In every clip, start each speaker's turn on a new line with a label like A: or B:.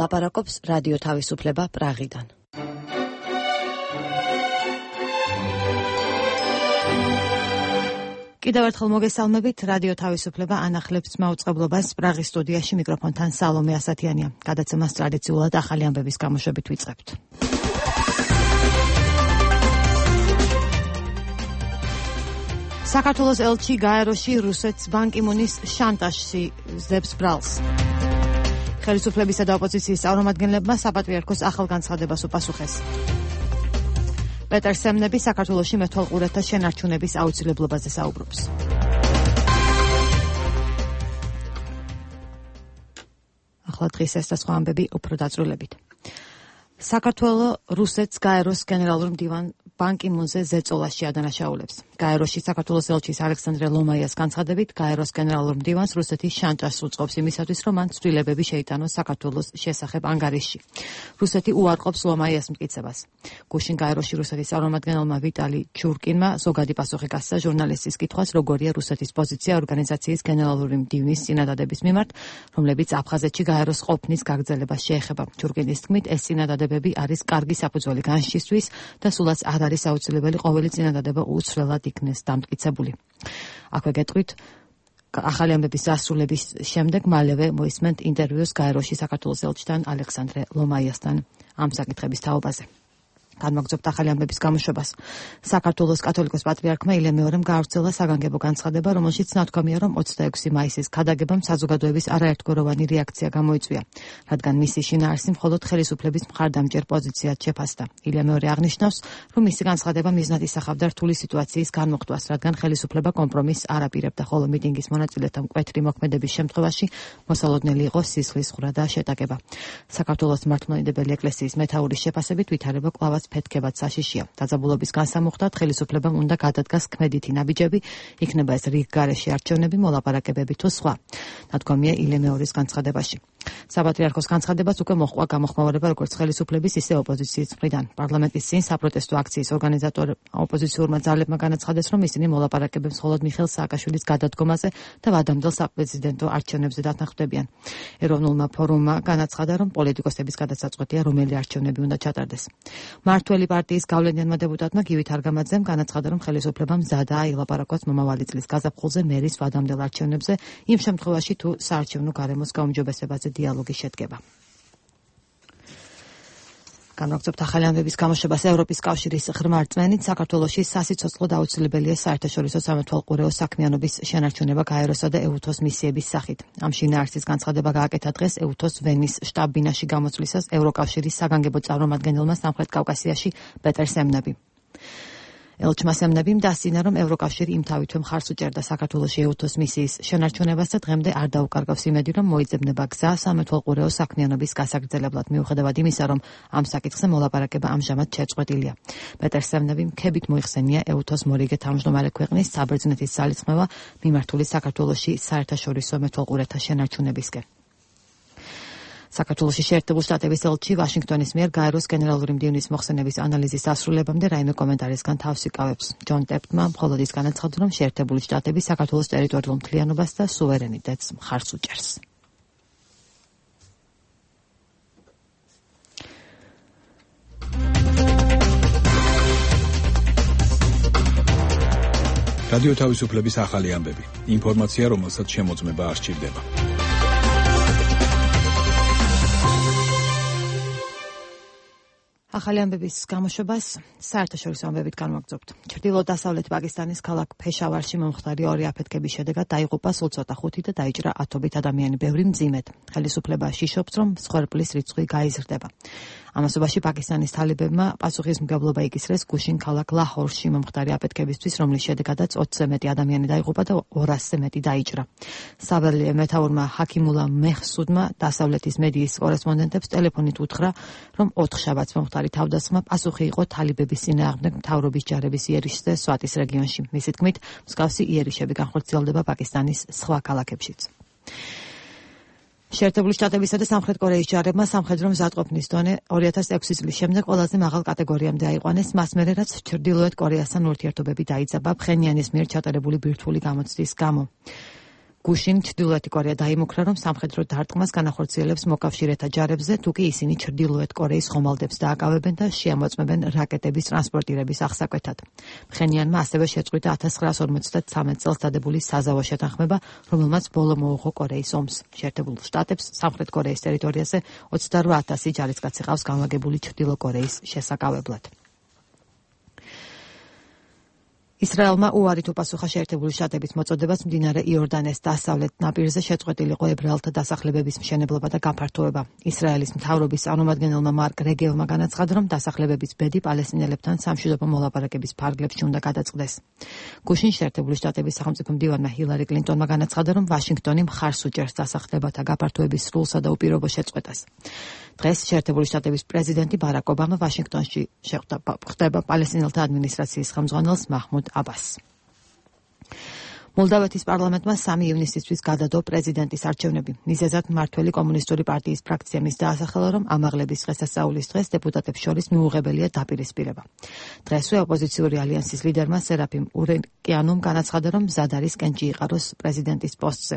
A: ლაპარაკობს რადიო თავისუფლება პრაღიდან. კიდევ ერთხელ მოგესალმებით, რადიო თავისუფლება ანახლებს მაუწყებლობას პრაღის სტუდიაში მიკროფონთან სალომე ასათიანია. გადაცემას ტრადიციულად ახალი ამბების გამოშვებით ვიწყებთ. საქართველოს ელჩი გაეროში რუსეთს ბან კი მუნის შანტაჟში ზებს ბრალს. ხელისუფლებისა და ოპოზიციის წარმომადგენლებმა საპატრიარქოს ახალ განცხადებას უპასუხეს. პეტერ სემნები საქართველოში მეთვალყურეთა შენარჩუნების აუცილებლობაზე საუბრობს. ახლა დღის ეს და სხვა ამბები უფრო დაწვრილებით. საქართველოს რუსეთს გაეროს გენერალურ მდივან ბან კი მუნზე ზეწოლაში ადანაშაულებს. გაეროში საქართველოს ელჩის ალექსანდრე ლომაიას განცხადებით, გაეროს გენერალურ მდივანს რუსეთი შანტაჟს უწყობს იმისათვის, რომ მან ცვლილებები შეიტანოს საქართველოს შესახებ ანგარიშში. რუსეთი უარყოფს ლომაიას მტკიცებას. გუშინ გაეროში რუსეთის წარმომადგენელმა ვიტალი ჩურკინმა ზოგადი პასუხი გასცა ჟურნალისტის კითხვას, როგორია რუსეთის პოზიცია ორგანიზაციის გენერალური მდივნის წინადადების მიმართ, რომლებიც აფხაზეთში გაეროს ყოფნის გაგრძელებას შეეხება. ჩურკინის თქმით, ეს წინადადებები არის კარგი საფუძველი განშისთვის და სულაც არ არის აუცილებელი ყოველი წინადადება უცვლელად იქნეს დამტკიცებული. აქვე გეტყვით, ახალი ამბების დასრულების შემდეგ მალევე მოისმენთ ინტერვიუს გაეროში საქართველოს ელჩთან ალექსანდრე ლომაიასთან ამ საკითხების თაობაზე. განმაგრძობთ ახალი ამბების გამოშვებას. საქართველოს კათოლიკოს პატრიარქმა ილე მეორემ გაავრცელა საგანგებო განცხადება, რომელშიც ნათქვამია, რომ 26 მაისის ქადაგებამ საზოგადოების არაერთგვაროვანი რეაქცია გამოიწვია, რადგან მისი შინაარსი მხოლოდ ხელისუფლების მხარდამჭერ პოზიციად შეფასდა. ილე მეორე აღნიშნავს, რომ მისი განცხადება მიზნად ისახავდა რთული სიტუაციის განმოხტვას, რადგან ხელისუფლება კომპრომისს არ აპირებდა, ხოლო მიტინგის მონაწილეთა მკვეთრი მოქმედების შემთხვევაში მოსალოდნელი იყო სისხლის ხრა და შეტაკება. საქართველოს მართლმადიდებელი ეკლესიის მეთაურის შეფასებით ვითარება კვლავაც ფეთქებად საშიშია. დაძაბულობის განსამუხტად ხელისუფლებამ უნდა გადადგას ქმედითი ნაბიჯები, იქნება ეს რიგ გარეშე არჩევნები, მოლაპარაკებები თუ სხვა. ნათქვამია ილე მეორის განცხადებაში. საპატრიარქოს განცხადებას უკვე მოჰყვა გამოხმაურება როგორც ხელისუფლების, ისე ოპოზიციის მხრიდან. პარლამენტის წინ საპროტესტო აქციის ორგანიზატორ ოპოზიციურმა ძალებმა განაცხადეს, რომ ისინი მოლაპარაკებებს მხოლოდ მიხეილ სააკაშვილის გადადგომაზე და ვადამდელ საპრეზიდენტო არჩევნებზე დათანხმდებიან. ეროვნულმა ფორუმმა განაცხადა, რომ პოლიტიკოსების გადასაწყვეტია, რომელი არჩევნები უნდა ჩატარდეს. მართველი პარტიის გავლენიანმა დეპუტატმა გივით არგამაძემ განაცხადა, რომ ხელისუფლება მზადაა ილაპარაკოს მომავალი წლის გაზაფხულზე მერის ვადამდელ არჩევნებზე, იმ შემთხვევაში თუ საარჩევნო გარემოს გაუმჯობესებაზე დიალოგი შედგება. განმაგრძობთ ახალი ამბების გამოშვებას. ევროპის კავშირის ღრმა რწმენით საქართველოში სასიცოცხლოდ აუცილებელია საერთაშორისო სამეთვალყურეო საქმიანობის შენარჩუნება გაეროსა და ეუთოს მისიების სახით. ამ შინაარსის განცხადება გააკეთა დღეს ეუთოს ვენის შტაბ-ბინაში გამოსვლისას ევროკავშირის საგანგებო წარმომადგენელმა სამხრეთ კავკასიაში პეტერ სემნები. ელჩმა სემნებიმ დასძინა, რომ ევროკავშირი იმთავითვე მხარს უჭერდა საქართველოში ეუთოს მისიის შენარჩუნებას და დღემდე არ დაუკარგავს იმედი, რომ მოიძებნება გზა სამეთვალყურეო საქმიანობის გასაგრძელებლად, მიუხედავად იმისა, რომ ამ საკითხზე მოლაპარაკება ამჟამად შეწყვეტილია. პეტერ სემნებიმ ქებით მოიხსენია ეუთოს მორიგე თავმჯდომარე ქვეყნის საბერძნეთის ძალისხმევა მიმართული საქართველოში საერთაშორისო მეთვალყურეთა შენარჩუნებისკენ. საქართველოში შეერთებული შტატების ელჩი ვაშინგტონის მიერ გაეროს გენერალური მდივნის მოხსენების ანალიზის დასრულებამდე რაიმე კომენტარისგან თავს იკავებს. ჯონ ტეპტმა მხოლოდ ის განაცხადა, რომ შეერთებული შტატები საქართველოს ტერიტორიულ მთლიანობას და სუვერენიტეტს მხარს უჭერს.
B: რადიო თავისუფლების ახალი ამბები. ინფორმაცია, რომელსაც შემოწმება არ სჭირდება.
A: ახალი ამბების გამოშვებას საერთაშორისო ამბებით განვაგრძობთ. ჩრდილო-დასავლეთ პაკისტანის ქალაქ ფეშავარში მომხდარი ორი აფეთქების შედეგად დაიღუპა სულ ცოტა ხუთი და დაიჭრა ათობით ადამიანი, ბევრი მძიმედ. ხელისუფლება შიშობს, რომ მსხვერპლის რიცხვი გაიზრდება. ამასობაში პაკისტანის თალიბებმა პასუხისმგებლობა იკისრეს გუშინ ქალაქ ლაჰორში მომხდარი აფეთქებისთვის, რომლის შედეგადაც 20-ზე მეტი ადამიანი დაიღუპა და 200-ზე მეტი დაიჭრა. საველე მეთაურმა ჰაკიმულა მეჰსუდმა დასავლეთის მედიის კორესპონდენტებს ტელეფონით უთხრა, რომ 4 შაბათს მომხდარი თავდასხმა პასუხი იყო თალიბების წინააღმდეგ მთავრობის ჯარების იერიშზე სვატის რეგიონში. მისი თქმით, მსგავსი იერიშები განხორციელდება პაკისტანის სხვა ქალაქებშიც. შეერთებული შტატებისა და სამხრეთ კორეის ჯარებმა სამხედრო მზადყოფნის დონე 2006 წლის შემდეგ ყველაზე მაღალ კატეგორიამდე აიყვანეს, მას მერე რაც ჩრდილოეთ კორეასთან ურთიერთობები დაიძაბა ფხენიანის მიერ ჩატარებული ბირთვული გამოცდის გამო. გუშინ ჩრდილოეთი კორეა დაიმუქრა, რომ სამხედრო დარტყმას განახორციელებს მოკავშირეთა ჯარებზე, თუ კი ისინი ჩრდილოეთ კორეის ხომალდებს დააკავებენ და შეამოწმებენ რაკეტების ტრანსპორტირების აღსაკვეთად. ფხენიანმა ასევე შეწყვიტა 1953 წელს დადებული საზავო შეთანხმება, რომელმაც ბოლო მოუღო კორეის ომს. შეერთებულ შტატებს სამხრეთ კორეის ტერიტორიაზე 28,000 ჯარისკაცი ყავს განლაგებული ჩრდილო კორეის შესაკავებლად. ისრაელმა უარით უპასუხა შეერთებული შტატების მოწოდებას მდინარე იორდანეს დასავლეთ ნაპირზე შეწყვეტილიყო ებრაელთა დასახლებების მშენებლობა და გაფართოება. ისრაელის მთავრობის წარმომადგენელმა მარკ რეგევმა განაცხადა, რომ დასახლებების ბედი პალესტინელებთან სამშვიდობო მოლაპარაკების ფარგლებში უნდა გადაწყდეს. გუშინ შეერთებული შტატების სახელმწიფო მდივანმა ჰილარი კლინტონმა განაცხადა, რომ ვაშინგტონი მხარს უჭერს დასახლებათა გაფართოების სრულსა და უპირობო შეწყვეტას. დღეს შეერთებული შტატების პრეზიდენტი ბარაკ ობამა ვაშინგტონში ხდება პალესტინელთა ადმინისტრაციის ხელმძღვანელს მაჰმუდ აბასს. მოლდავეთის პარლამენტმა 3 ივნისისთვის გადადო პრეზიდენტის არჩევნები. მიზეზად მმართველი კომუნისტური პარტიის ფრაქცია მის დაასახელა, რომ ამაღლების დღესასწაულის დღეს დეპუტატებს შორის მიუღებელია დაპირისპირება. დღესვე ოპოზიციური ალიანსის ლიდერმა სერაფიმ ურეკიანუმ განაცხადა, რომ მზად არის კენჭი იყაროს პრეზიდენტის პოსტზე.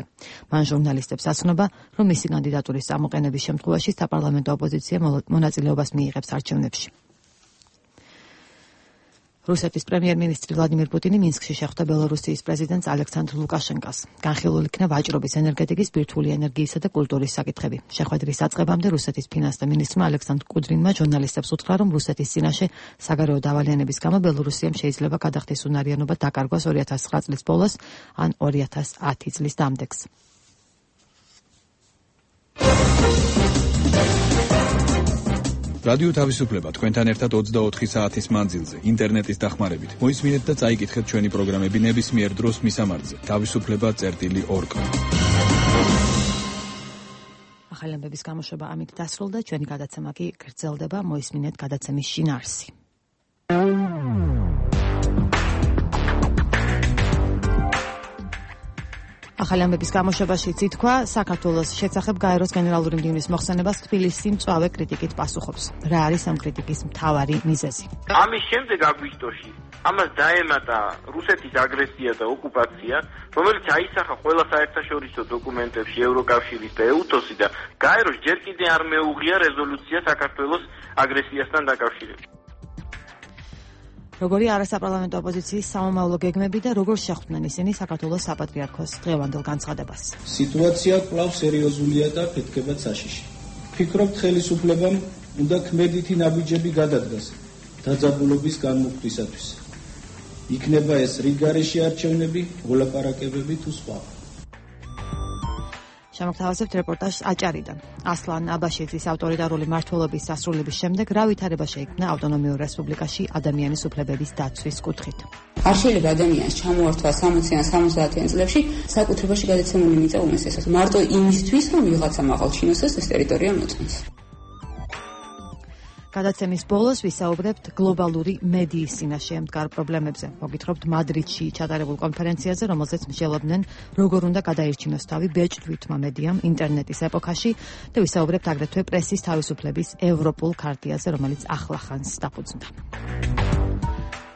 A: მან ჟურნალისტებს ასწნობა, რომ მისი კანდიდატურის წამოყენების შემთხვევაში საპარლამენტო ოპოზიცია მონაწილეობას მიიღებს არჩევნებში. რუსეთის პრემიერ-მინისტრი ვლადიმირ პუტინი მინსკში შეხვდა ბელორუსიის პრეზიდენტს ალექსანდრ ლუკაშენკას. განხილულ იქნა ვაჭრობის, ენერგეტიკის, ბირთვული ენერგიისა და კულტურის საკითხები. შეხვედრის აწყებამდე რუსეთის ფინანსთა მინისტრმა ალექსანდრ კუდრინმა ჟურნალისტებს უთხრა, რომ რუსეთის წინაშე საგარეო დავალიანების გამო ბელორუსიამ შეიძლება გადახდეს უნარიანობა დაკარგვას 2009 წლის ბოლოს ან 2010 წლის დამდეგს.
B: რადიო თავისუფლება თქვენთან ერთად 24 საათის მანძილზე ინტერნეტის დახმარებით. მოისმინეთ და წაიკითხეთ ჩვენი პროგრამები ნებისმიერ დროს მისამართზე. თავისუფლება.org. ახალი ამბების გამოშვება ამით დასრულდა. ჩვენი გადაცემა კი გრძელდება. მოისმინეთ გადაცემის შინაარსი. ახალი ამბების გამოშვებაში ითქვა, საქართველოს შესახებ გაეროს გენერალური მდივნის მოხსენებას თბილისი მწვავე κρიტიკით პასუხობს. რა არის ამ κρიტიკის მთავარი მიზეზი?
C: ამის შემდეგ აგვისტოში ამას დაემატა რუსეთის აგრესია და ოკუპაცია, რომელიც აისახა ყველა საერთაშორისო დოკუმენტებში ევროკავშირის და ეუთოს-ი და გაეროს ჯერ კიდე არ მეუღია რეზოლუცია საქართველოს აგრესიასთან დაკავშირებით.
A: როგორი არასაპარლამენტო ოპოზიციის სამომავლო გეგმები და როგორ შეხვდნენ ისინი საქართველოს საპატრიარქოს დღევანდელ განცხადებას.
D: სიტუაცია კვლავ სერიოზულია და ფეთქებად საშიში. ვფიქრობთ, ხელისუფლებამ უნდა ქმედითი ნაბიჯები გადადგას დაძაბულობის განმუხტვისათვის. იქნება ეს რიგგარეშე არჩევნები, მოლაპარაკებები თუ სხვა.
A: შემოგთავაზებთ რეპორტაჟს აჭარიდან. ასლან აბაშიძის ავტორიტარული მმართველობის დასრულების შემდეგ რა ვითარება შეიქმნა ავტონომიურ რესპუბლიკაში ადამიანის უფლებების დაცვის კუთხით.
E: არ შეიძლება ადამიანს ჩამოართვა 60-იან 70-იან წლებში საკუთრებაში გადაცემული მიწა უმესესად. მარტო იმისთვის, რომ ვიღაცა მაღალჩინოსას ეს ტერიტორია მოწმოს.
A: გადაცემის ბოლოს ვისაუბრებთ გლობალური მედიის წინაშე მდგარ პრობლემებზე. მოგითხრობთ მადრიდში ჩატარებულ კონფერენციაზე, რომელზეც მსჯელობდნენ, როგორ უნდა გადაირჩინოს თავი ბეჭდვითმა მედიამ ინტერნეტის ეპოქაში და ვისაუბრებთ აგრეთვე პრესის თავისუფლების ევროპულ ქარტიაზე, რომელიც ახლახანს დაფუძნდა.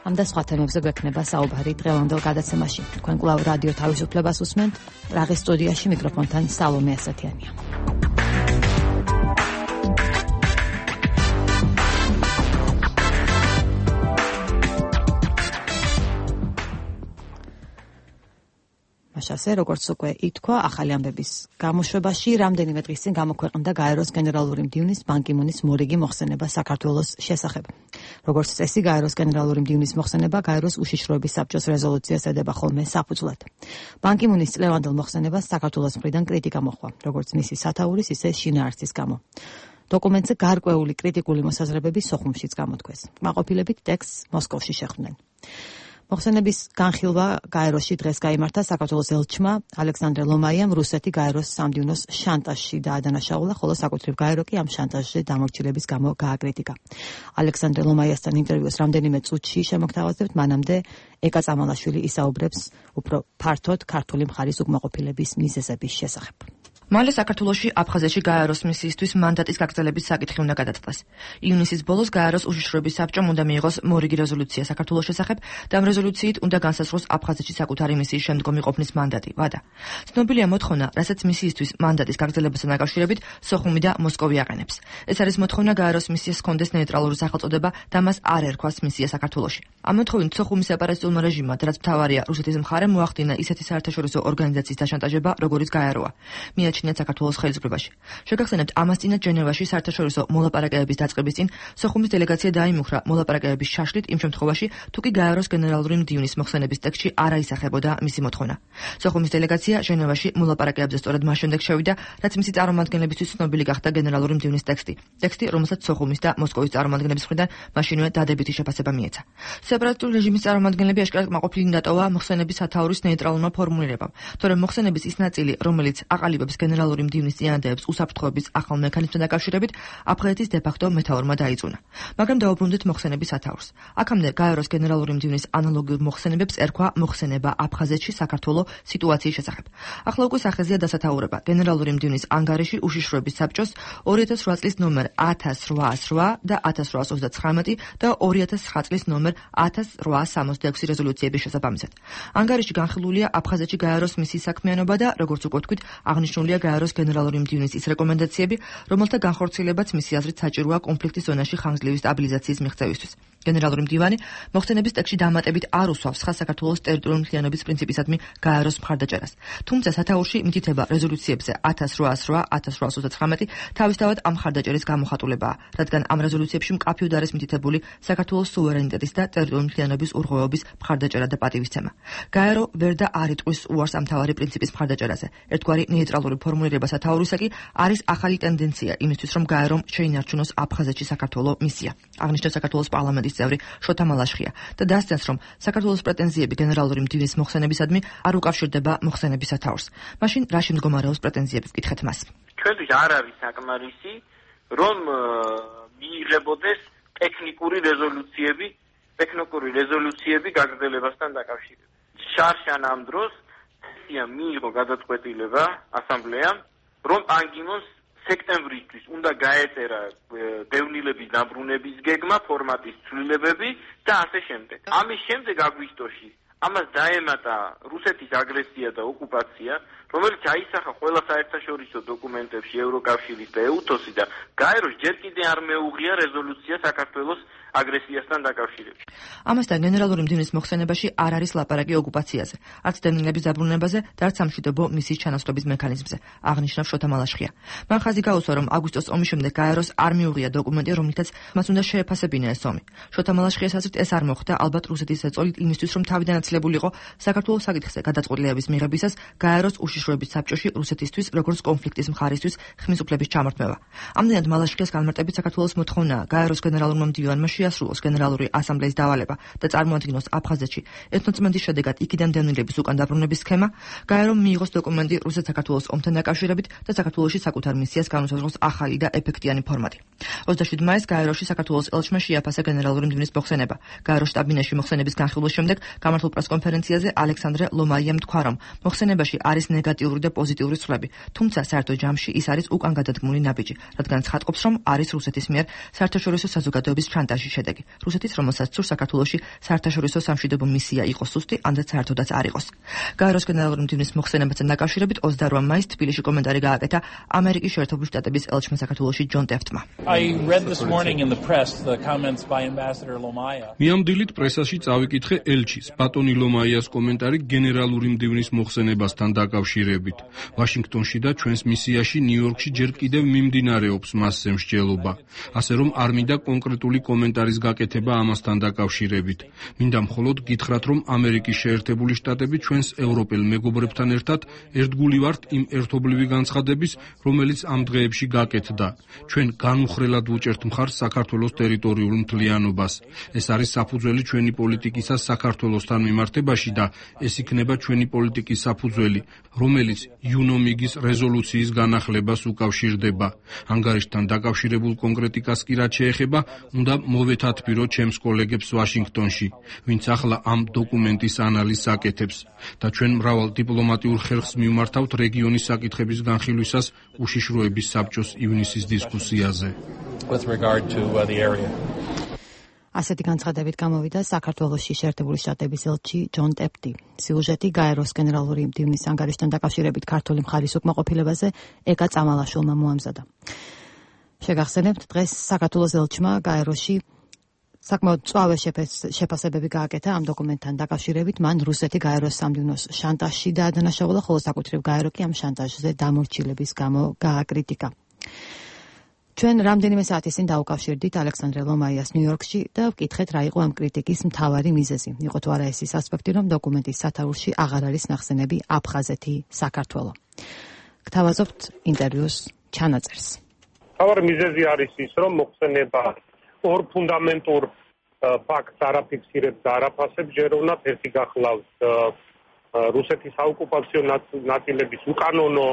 A: ამ და სხვა თემებზე გვექნება საუბარი დღევანდელ გადაცემაში. თქვენ კვლავ რადიო თავისუფლებას უსმენთ, პრაღის სტუდიაში მიკროფონთან სალომე ასათიანია. ასე როგორც უკვე ითქვა, ახალი ამბების გამოშვებაში რამდენიმე დღის წინ გამოქვეყნდა გაეროს გენერალური მდივნის ბან კი მუნის მორიგი მოხსენება საქართველოს შესახებ. როგორც წესი, გაეროს გენერალური მდივნის მოხსენება გაეროს უშიშროების საბჭოს რეზოლუციას ედება ხოლმე საფუძვლად. ბან კი მუნის წლევანდელ მოხსენებას საქართველოს მხრიდან კრიტიკა მოჰყვა, როგორც მისი სათაურის, ისე შინაარსის გამო. დოკუმენტზე გარკვეული კრიტიკული მოსაზრებები სოხუმშიც გამოთქვეს. კმაყოფილებით ტექსტს მოსკოვში შეხვდნენ. მოხსენების განხილვა გაეროში დღეს გაიმართა საქართველოს ელჩმა ალექსანდრე ლომაიამ რუსეთი გაეროს სამდივნოს შანტაჟში დაადანაშაულა, ხოლო საკუთრივ გაერო კი ამ შანტაჟზე დამორჩილების გამო გააკრიტიკა. ალექსანდრე ლომაიასთან ინტერვიუს რამდენიმე წუთში შემოგთავაზებთ, მანამდე ეკა წამალაშვილი ისაუბრებს უფრო ფართოდ ქართული მხარის უკმაყოფილების მიზეზების შესახებ.
F: მალე საქართველოში აფხაზეთში გაეროს მისიისთვის მანდატის გაგრძელების საკითხი უნდა გადაწყდეს. ივნისის ბოლოს გაეროს უშიშროების საბჭომ უნდა მიიღოს მორიგი რეზოლუცია საქართველოს შესახებ და ამ რეზოლუციით უნდა განსაზღვროს აფხაზეთში საკუთარი მისიის შემდგომი ყოფნის მანდატი. ვადა. ცნობილია მოთხოვნა, რასაც მისიისთვის მანდატის გაგრძელებასთან დაკავშირებით სოხუმი და მოსკოვი აყენებს. ეს არის მოთხოვნა გაეროს მისიას ჰქონდეს ნეიტრალური სახელწოდება და მას არ ერქვას მისია საქართველოში. ამ მოთხოვნით სოხუმის სეპარატისტულმა რეჟიმმა, რაც მთავარია რუსეთის მხარემ, მოახდინა ისეთი საერთაშორისო ორგანიზაციის დაშანტაჟება, როგორიც გაეროა. მიაჩნიათ საქართველოს ხელისუფლებაში. შეგახსენებთ, ამას წინათ ჟენევაში საერთაშორისო მოლაპარაკებების დაწყების წინ სოხუმის დელეგაცია დაიმუხრა მოლაპარაკებების შაშლით იმ შემთხვევაში, თუ კი გაეროს გენერალური მდივნის მოხსენების ტექსტში არ აისახებოდა მისი მოთხოვნა. სოხუმის დელეგაცია ჟენევაში მოლაპარაკებებზე სწორედ მას შემდეგ შევიდა, რაც მისი წარმომადგენლებისთვის ცნობილი გახდა გენერალური მდივნის ტექსტი, რომელსაც სოხუმის და მოსკოვის წარმომადგენლების მხრიდან მაშინვე დადებითი შეფასება მიეცა. სეპარატისტული რეჟიმის წარმომადგენლები აშკარად კმაყოფილნი დატოვა მოხსენების სათაურის ნეიტრალურმა ფორმულირებამ, თორემ მოხსენების ის ნაწილი, რომელიც აყალიბებს გენერალური მდივნის წინადადებს უსაფრთხოების ახალ მექანიზმთან დაკავშირებით, აფხაზეთის დე-ფაქტო მეთაურმა დაიწუნა. მაგრამ დაუბრუნდეთ მოხსენების სათაურს. აქამდე გაეროს გენერალური მდივნის ანალოგიურ მოხსენებებს ერქვა მოხსენება აფხაზეთში საქართველოს სიტუაციის შესახებ. ახლა უკვე სახეზეა დასათაურება გენერალური მდივნის ანგარიში უშიშროების საბჭოს 2008 წლის ნომერ 1808 და 1839 და 2009 წლის ნომერ 1866 რეზოლუციების შესაბამისად. ანგარიში განხილულია აფხაზეთში გაეროს მისიის საქმიანობა და, როგორც უკვე თქვით, აღნიშნულია გაეროს გენერალური მდივნის ის რეკომენდაციები, რომელთა განხორციელებაც მისი აზრით საჭიროა კონფლიქტის ზონაში ხანგრძლივი სტაბილიზაციის მიღწევისთვის. გენერალური მდივანი მოხსენების ტექსტში დამატებით არ უსვავს ხაზს საქართველოს ტერიტორიული მთლიანობის პრინციპისადმი გაეროს მხარდაჭერას. თუმცა სათაურში მითითება რეზოლუციებზე 1808-1839 თავისთავად ამ მხარდაჭერის გამოხატულებაა, რადგან ამ რეზოლუციებში მკაფიოდ არის მითითებული საქართველოს სუვერენიტეტის და ტერიტორიული მთლიანობის ურღვევების მხარდაჭერა და პატივისცემა. გაერო ვერ და არ იტყვის უარს ამ თავარი პრინციპის მხარდაჭერაზე. ერთგვარი ნეიტრალური ფორმულირება სათაურისა კი არის ახალი ტენდენცია იმისთვის, რომ გაერომ შეინარჩუნოს აფხაზეთში საქართველოს მისია. აღნიშნავს საქართველოს პარლამენტის წევრი შოთა მალაშხია და დასცენს, რომ საქართველოს პრეტენზიები გენერალური მდივნის მოხსენებისადმი არ უკავშირდება მოხსენების სათაურს. მაშინ რაში მდგომარეობს პრეტენზიები, ვკითხეთ მას.
C: ჩვენთვის არ არის საკმარისი, რომ მიიღებოდეს ტექნიკური რეზოლუციები გაგრძელებასთან დაკავშირებით. შარშან ამ დროს მიიღო გადაწყვეტილება ასამბლეამ, რომ პან კი მუნს სექტემბრისთვის უნდა გაეწერა დევნილების დაბრუნების გეგმა, ფორმატის ცვლილებები და ასე შემდეგ. ამის შემდეგ აგვისტოში ამას დაემატა რუსეთის აგრესია და ოკუპაცია, რომელიც აისახა ყველა საერთაშორისო დოკუმენტებში ევროკავშირის და ეუთოსი და გაეროს ჯერ კიდე არ მეუღია რეზოლუცია საქართველოს აგრესიასთან დაკავშირებით.
F: ამასთან გენერალური მდივნის მოხსენებაში არ არის ლაპარაკი ოკუპაციაზე, არც დევნილების დაბრუნებაზე და არც სამშვიდობო მისიის ჩანაცვლების მექანიზმზე, აღნიშნავს შოთა მალაშხია. მან ხაზი გაუსვა, რომ აგვისტოს ომის შემდეგ გაეროს არ მიუღია დოკუმენტი, რომლითაც მას უნდა შეეფასებინა ეს ომი. შოთა მალაშხიას აზრით ეს არ მოხდა ალბათ რუსეთის ზეწოლით იმისთვის, რომ თავიდან აცლებულიყო საქართველოს საკითხზე გადაწყვეტილებების მიღებისას გაეროს უშიშროების საბჭოში რუსეთისთვის, როგორც კონფლიქტის მხარისთვის ხმის უფლების ჩამორთმევა. ამდენად მალაშხიას განმარტებით საქართველოს მოთხოვნაა გაეროს გენერალურმა მდივანმა შეასრულოს გენერალური ასამბლეის დავალება და წარმოადგინოს აფხაზეთში ეთნოწმენდის შედეგად იქიდან დევნილების უკან დაბრუნების სქემა, გაერომ მიიღოს დოკუმენტი რუსეთ-საქართველოს ომთან დაკავშირებით და საქართველოში საკუთარ მისიას განუსაზღვროს ახალი და ეფექტიანი ფორმატი. 27 მაისს გაეროში საქართველოს ელჩმა შეაფასა გენერალური მდივნის მოხსენება. გაეროს შტაბ-ბინაში მოხსენების განხილვის შემდეგ გამართულ პრესკონფერენციაზე ალექსანდრე ლომაიამ თქვა, რომ მოხსენებაში არის ნეგატიური და პოზიტიური ცვლები, თუმცა საერთო ჯამში ის არის უკან გადადგმული ნაბიჯი, რადგან ცხადყოფს, რომ არის რუსეთის მიერ საერთაშორისო საზოგადოების შანტაჟის შედეგი. რუსეთის, რომელსაც სურს საქართველოში საერთაშორისო სამშვიდობო მისია იყოს სუსტი, ამდაც საერთოდაც არ იყოს. გაეროს გენერალური მდივნის მოხსენებასთან დაკავშირებით 28 მაისს თბილისში კომენტარი გააკეთა ამერიკის შეერთებული შტატების ელჩმა საქართველოში ჯონ ტეფტმა.
G: მიამდილით პრესაში წავიკითხე ელჩის ბატონი ლომაიას კომენტარი გენერალური მდივნის მოხსენებასთან დაკავშირებით. ვაშინგტონში და ჩვენს მისიაში ნიუ-იორკში ჯერ კიდევ მიმდინარეობს მასზე მსჯელობა. ასე რომ არ მინდა კონკრეტული კომენტარის გაკეთება ამასთან დაკავშირებით. მინდა მხოლოდ გითხრათ, რომ ამერიკის შეერთებული შტატები ჩვენს ევროპელ მეგობრებთან ერთად ერთგული ვართ იმ ერთობლივი განცხადების, რომელიც ამ დღეებში გაკეთდა. ჩვენ განუხრელად ვუჭერთ მხარს საქართველოს ტერიტორიულ მთლიანობას. ეს არის საფუძველი ჩვენი პოლიტიკისა საქართველოსთან მიმართებაში და ეს იქნება ჩვენი პოლიტიკის საფუძველი, რომელიც იუნომიგის რეზოლუციის განახლებას უკავშირდება. ანგარიშთან დაკავშირებულ კონკრეტიკას კი რაც შეეხება, უნდა მოვეთათბირო ჩემს კოლეგებს ვაშინგტონში, ვინც ახლა ამ დოკუმენტის ანალიზს აკეთებს და ჩვენ მრავალ დიპლომატიურ ხერხს მივმართავთ რეგიონის საკითხების განხილვისას უშიშროების საბჭოს ივნისის დისკუსიაზე.
A: ასეთი განცხადებით გამოვიდა საქართველოში შეერთებული შტატების ელჩი ჯონ ტეპტი. სიუჟეტი გაეროს გენერალური მდივნის ანგარიშთან დაკავშირებით ქართული მხარის უკმაყოფილებაზე ეკა წამალაშვილმა მოამზადა. შეგახსენებთ, დღეს საქართველოს ელჩმა გაეროში საკმაოდ მწვავე შეფასებები გააკეთა ამ დოკუმენტთან დაკავშირებით. მან რუსეთი გაეროს სამდივნოს შანტაჟში დაადანაშაულა, ხოლო საკუთრივ გაერო კი ამ შანტაჟზე დამორჩილების გამო გააკრიტიკა. ჩვენ რამდენიმე საათის წინ დაუკავშირდით ალექსანდრე ლომაიას ნიუ-იორკში და ვკითხეთ რა იყო ამ კრიტიკის მთავარი მიზეზი. იყო თუ არა ეს ის ასპექტი, რომ დოკუმენტის სათაურში აღარ არის ნახსენები აფხაზეთი, საქართველო. გთავაზობთ ინტერვიუს ჩანაწერს.
H: მთავარი მიზეზი არის ის, რომ მოხსენება ორ ფუნდამენტურ ფაქტს არაფიქსირებს და არაფასებს, ჯეროვნად ერთი გახლავს რუსეთის საოკუპაციო ნაწილების უკანონო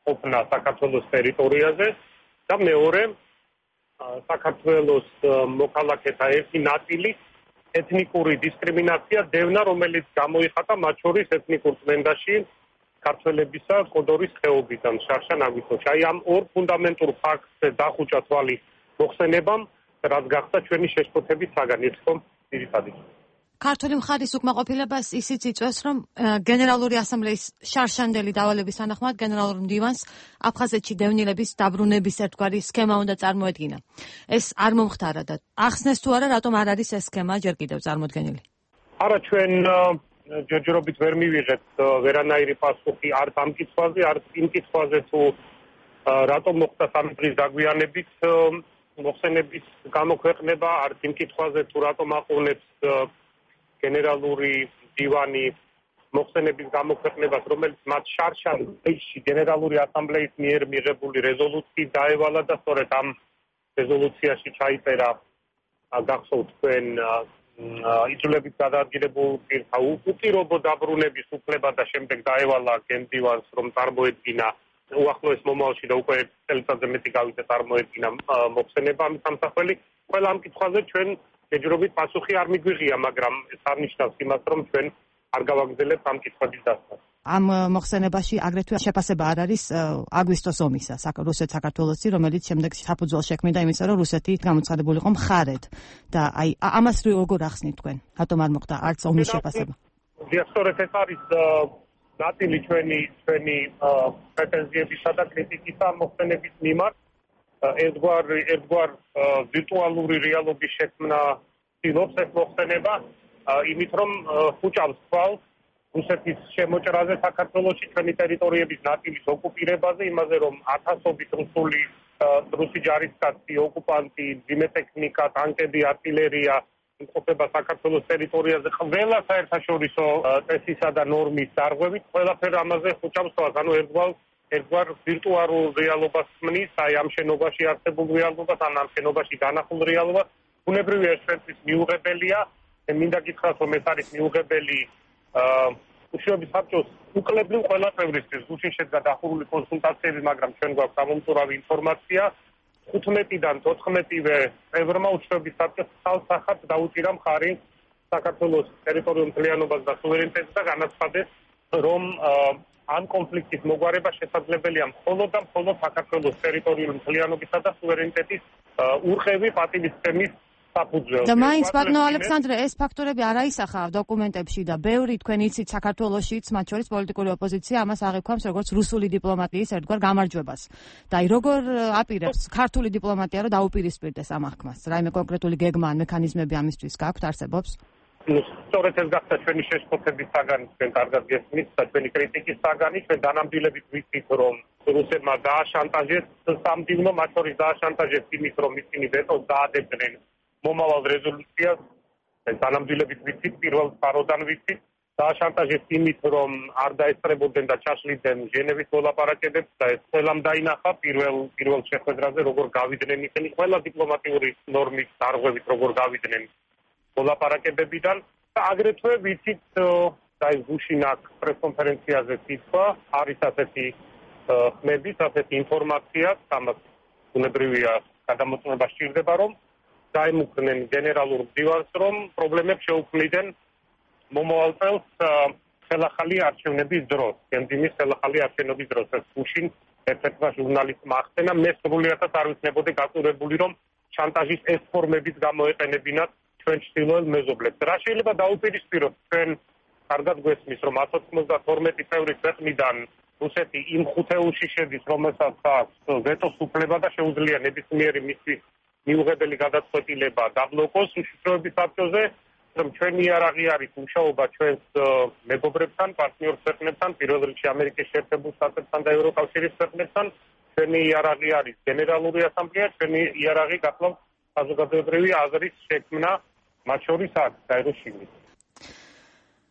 H: ყოფნა საქართველოს ტერიტორიაზე და მეორე საქართველოს მოქალაქეთა ერთი ნაწილი ეთნიკური დისკრიმინაცია დევნა, რომელიც გამოიხატა მათ შორის ეთნიკურ წმენდაში ქართველებისა კოდორის ხეობიდან შარშან-აგვისტოში. აი ამ ორ ფუნდამენტურ ფაქტზე დახუჭა თვალი მოხსენებამ, რაც გახდა ჩვენი შეშფოთების საგანი, ხო, ძირითადად.
A: ქართული მხარის უკმაყოფილებას ისიც იწვევს, რომ გენერალური ასამბლეის შარშანდელი დავალების თანახმად გენერალურ მდივანს აფხაზეთში დევნილების დაბრუნების ერთგვარი სქემა უნდა წარმოედგინა. ეს არ მომხდარა და ახსნეს თუ არა, რატომ არ არის ეს სქემა ჯერ კიდევ წარმოდგენილი?
H: არა, ჩვენ ჯერჯერობით ვერ მივიღეთ ვერანაირი პასუხი არც ამ კითხვაზე, არც იმ კითხვაზე თუ რატომ მოხდა სამი დღის დაგვიანებით მოხსენების გამოქვეყნება, არც იმ კითხვაზე თუ რატომ აყოვნებს გენერალური მდივანი მოხსენების გამოქვეყნებას, რომელიც მათ შარშან-ბეიში გენერალური ასამბლეის მიერ მიღებული რეზოლუციით დაევალა და სწორედ ამ რეზოლუციაში ჩაიწერა გახსოვთ თქვენ იძულებით გადაადგილებულ პირთა უპირობო დაბრუნების უფლება და შემდეგ დაევალა გენდივანს, რომ წარმოედგინა უახლოეს მომავალში და უკვე ერთ წელიწადზე მეტი გავიდა წარმოედგინა მოხსენება ამის სამსახველი. ყველა ამ კითხვაზე ჩვენ ჯერჯერობით პასუხი არ მიგვიღია, მაგრამ ეს არნიშნავს იმას, რომ ჩვენ არ გავაგრძელებთ ამ კითხვების დასმას.
A: ამ მოხსენებაში აგრეთვე შეფასება არ არის აგვისტოს ომისა რუსეთ-საქართველოსი, რომელიც შემდეგ საფუძველს შექმნიდა იმისა, რომ რუსეთი გამოცხადებულიყო მხარედ და აი ამას როგორ ახსნით თქვენ? რატომ არ მოხდა არც ომის შეფასება?
H: სწორედ ეს არის ნაწილი ჩვენი პრეტენზიებისა და კრიტიკისა მოხსენების მიმართ. ერთგვარ ვირტუალური რეალობის შექმნა ცდილობს ეს მოხსენება, იმით რომ ხუჭავს თვალს რუსეთის შემოჭრაზე საქართველოში, ჩვენი ტერიტორიების ნაწილის ოკუპირებაზე, იმაზე რომ ათასობით რუსი ჯარისკაცი, ოკუპანტი, ძიმე ტექნიკა, ტანკები, артиლერია იმყოფება საქართველოს ტერიტორიაზე ყველა საერთაშორისო წესისა და ნორმის დარღვევით, ყველაფერ ამაზე ხუჭავს თვალს. ანუ ერთგვარ ვირტუალურ რეალობას ხმნის, აი ამ შენობაში არსებულ რეალობას, ამ შენობაში განახულ რეალობას. ბუნებრივია ეს ჩვენთვის მიუღებელია. მინდა გითხრათ, რომ ეს არის მიუღებელი უშუალოდ საბჭოს უკლებრივ ყველა წევრისთვის. გუშინ შედგა დახურული კონსულტაციები, მაგრამ ჩვენ გვაქვს გამომწვევი ინფორმაცია. 15-დან 14-ვე წევრმა უშუალოდ საბჭოს ხალხად დაუჭირა მხარი საქართველოს ტერიტორიულ მთლიანობას და სუვერენიტეტს და განაცხადეს, რომ ამ კონფლიქტის მოგვარება შესაძლებელია მხოლოდ და მხოლოდ საქართველოს ტერიტორიული მთლიანობისა და სუვერენიტეტის ურყევი პატივისცემის საფუძველზე.
A: და მაინც ბატონო ალექსანდრე, ეს ფაქტორები არ აისახა დოკუმენტებში და ბევრი თქვენ იცით საქართველოშიც, მათ შორის პოლიტიკური ოპოზიცია ამას აღიქვამს როგორც რუსული დიპლომატიის ერთგვარ გამარჯვებას. და აი როგორ აპირებს ქართული დიპლომატია რომ დაუპირისპირდეს ამ აღქმას? რაიმე კონკრეტული გეგმა ან მექანიზმები ამისთვის გაქვთ, არსებობს?
H: სწორედ ეს გახდა ჩვენი შეშფოთების საგანი, ჩვენ კარგად გესმით და ჩვენი კრიტიკის საგანი. ჩვენ დანამდვილებით ვიცით, რომ რუსებმა დააშანტაჟეს სამდივნო, მათ შორის დააშანტაჟეს იმით, რომ ისინი ვეტოს დაადებდნენ მომავალ რეზოლუციას. დანამდვილებით ვიცით, პირველ სფაროდან ვიცით, დააშანტაჟეს იმით, რომ არ დაესწრებოდნენ და ჩაშლიდნენ ჟენევის მოლაპარაკებებს და ეს ყველამ დაინახა პირველ შეხვედრაზე, როგორ გავიდნენ ისინი ყველა დიპლომატიური ნორმის დარღვევით, როგორ გავიდნენ მოლაპარაკებებიდან და აგრეთვე ვიცით და გუშინაკ პრესკონფერენციაზე თქვა არის ასეთი ხმების, ასეთი ინფორმაცია, ამას უნებრივია გადამოწმება სჭირდება, რომ დაემუქრნენ გენერალურ მდივანს, რომ პრობლემებს შეუქმნიდნენ მომავალ წელს ხელახალი არჩევნების დროს, გენდიმის ხელახალი არჩევნების დროს. ეს გუშინ ერთ-ერთმა ჟურნალისტმა ახსენა, მე სრულიადად არ ვიცნებოდი გაწურებული, რომ შანტაჟის ეს ფორმებიც გამოეყენებინათ ჩვენ ჩრდილოელ მეზობლებს. რა შეიძლება დაუპირისპიროთ ჩვენ კარგად გვესმის, რომ 192 წევრის ქვეყნიდან რუსეთი იმ ხუთეულში შედის, რომელსაც აქვს ვეტოს უფლება და შეუძლია ნებისმიერი მისი მიუღებელი გადაწყვეტილება დაბლოკოს უშიშროების საბჭოზე, რომ ჩვენი იარაღი არის მუშაობა ჩვენს მეგობრებთან, პარტნიორ ქვეყნებთან, პირველ რიგში ამერიკის შეერთებულ შტატებთან და ევროკავშირის ქვეყნებთან, ჩვენი იარაღი არის გენერალური ასამბლეა, ჩვენი იარაღი გახლავთ საზოგადოებრივი აზრის შექმნა, მათ შორის აქ გაეროში.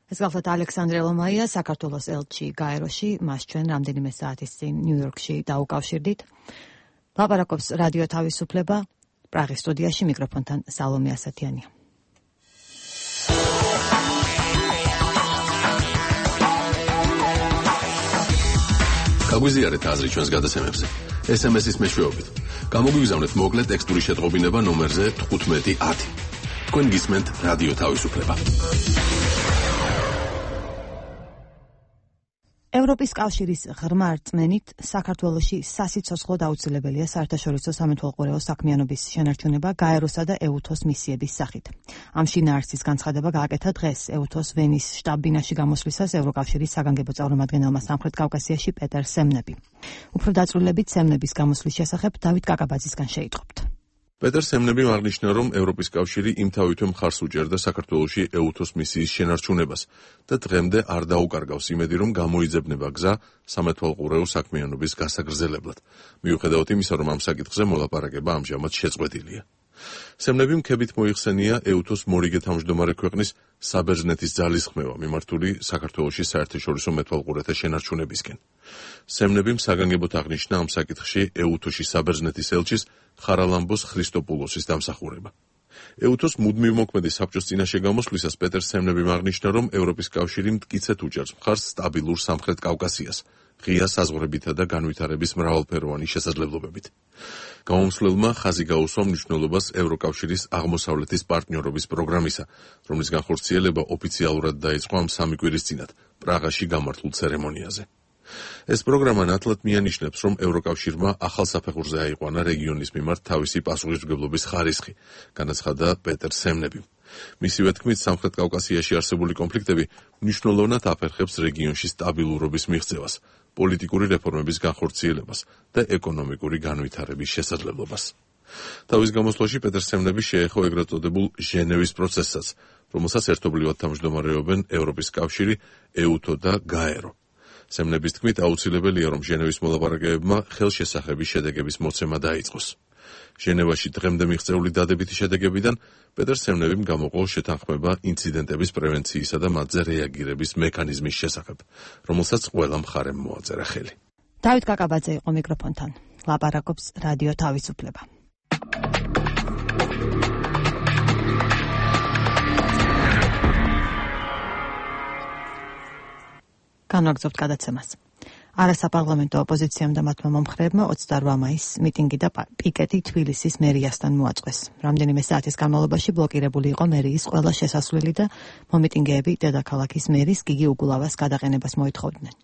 A: ეს გახლავთ ალექსანდრე ლომაია, საქართველოს ელჩი გაეროში, მას ჩვენ რამდენიმე საათის წინ ნიუ-იორკში დაუკავშირდით. ლაპარაკობს რადიო თავისუფლება, პრაღის სტუდიაში, მიკროფონთან სალომე ასათიანია.
I: გაგვიზიარეთ აზრი ჩვენს გადაცემებზე. SMS-ის მეშვეობით. გამოგვიგზავნეთ მოკლე ტექსტური შეტყობინება ნომერზე 1510. თქვენ გისმენთ რადიო თავისუფლება.
A: ევროპის კავშირის ღრმა რწმენით საქართველოში სასიცოცხლოდ აუცილებელია საერთაშორისო სამეთვალყურეო საქმიანობის შენარჩუნება გაეროსა და ეუთოს მისიების სახით. ამ შინაარსის განცხადება გააკეთა დღეს ეუთოს ვენის შტაბ-ბინაში გამოსვლისას ევროკავშირის საგანგებო წარმომადგენელმა სამხრეთ კავკასიაში პეტერ სემნები. უფრო დაწვრილებით სემნების გამოსვლის შესახებ დავით კაკაბაძისგან შეიტყობთ.
I: პეტერ სემნებიმ აღნიშნა, რომ ევროპის კავშირი იმთავითვე მხარს უჭერდა საქართველოში ეუთოს მისიის შენარჩუნებას და დღემდე არ დაუკარგავს იმედი, რომ გამოიძებნება გზა სამეთვალყურეო საქმიანობის გასაგრძელებლად. მიუხედავად იმისა, რომ ამ საკითხზე მოლაპარაკება ამჟამად შეწყვეტილია. სემნებიმ ქებით მოიხსენია ეუთოს მორიგე თავმჯდომარე ქვეყნის საბერძნეთის ძალისხმევა მიმართული საქართველოში საერთაშორისო მეთვალყურეთა შენარჩუნებისკენ. სემნებიმ საგანგებოდ აღნიშნა ამ საკითხში ეუთოში საბერძნეთის ელჩის ხარალამბოს ხრისტოპულოსის დამსახურება. ეუთოს მუდმივ მოქმედი საბჭოს წინაშე გამოსვლისას პეტერ სემნებიმ აღნიშნა, რომ ევროპის კავშირი მტკიცედ უჭერს მხარს სტაბილურ სამხრეთ კავკასიას, ღია საზღვრებითა და განვითარების მრავალფეროვანი შესაძლებლობებით. გამომსვლელმა ხაზი გაუსვა მნიშვნელობას ევროკავშირის აღმოსავლეთის პარტნიორობის პროგრამისა, რომლის განხორციელება ოფიციალურად დაიწყო ამ სამი კვირის წინათ პრაღაში გამართულ ცერემონიაზე. ეს პროგრამა ნათლად მიანიშნებს, რომ ევროკავშირმა ახალ საფეხურზე აიყვანა რეგიონის მიმართ თავისი პასუხისმგებლობის ხარისხი, განაცხადა პეტერ სემნებიმ. მისივე თქმით, სამხრეთ კავკასიაში არსებული კონფლიქტები მნიშვნელოვნად აფერხებს რეგიონში სტაბილურობის მიღწევას, პოლიტიკური რეფორმების განხორციელებას და ეკონომიკური განვითარების შესაძლებლობას. თავის გამოსვლაში პეტერ სემნები შეეხო ეგრეთ წოდებულ ჟენევის პროცესსაც, რომელსაც ერთობლივად თავმჯდომარეობენ ევროპის კავშირი, ეუთო და გაერო. სემნების თქმით, აუცილებელია, რომ ჟენევის მოლაპარაკებებმა ხელშესახების შედეგების მოცემა დაიწყოს. ჟენევაში დღემდე მიღწეული დადებითი შედეგებიდან პეტერ სემნებიმ გამოყო შეთანხმება ინციდენტების პრევენციისა და მათზე რეაგირების მექანიზმის შესახებ, რომელსაც ყველა მხარემ მოაწერა ხელი.
A: დავით კაკაბაძე იყო მიკროფონთან. ლაპარაკობს რადიო თავისუფლება. განვაგრძობთ გადაცემას. არასაპარლამენტო ოპოზიციამ და მათმა მომხრეებმა 28 მაისს მიტინგი და პიკეტი თბილისის მერიასთან მოაწყვეს. რამდენიმე საათის განმავლობაში ბლოკირებული იყო მერიის ყველა შესასვლელი და მომიტინგეები დედაქალაქის მერის გიგი უგულავას გადაყენებას მოითხოვდნენ.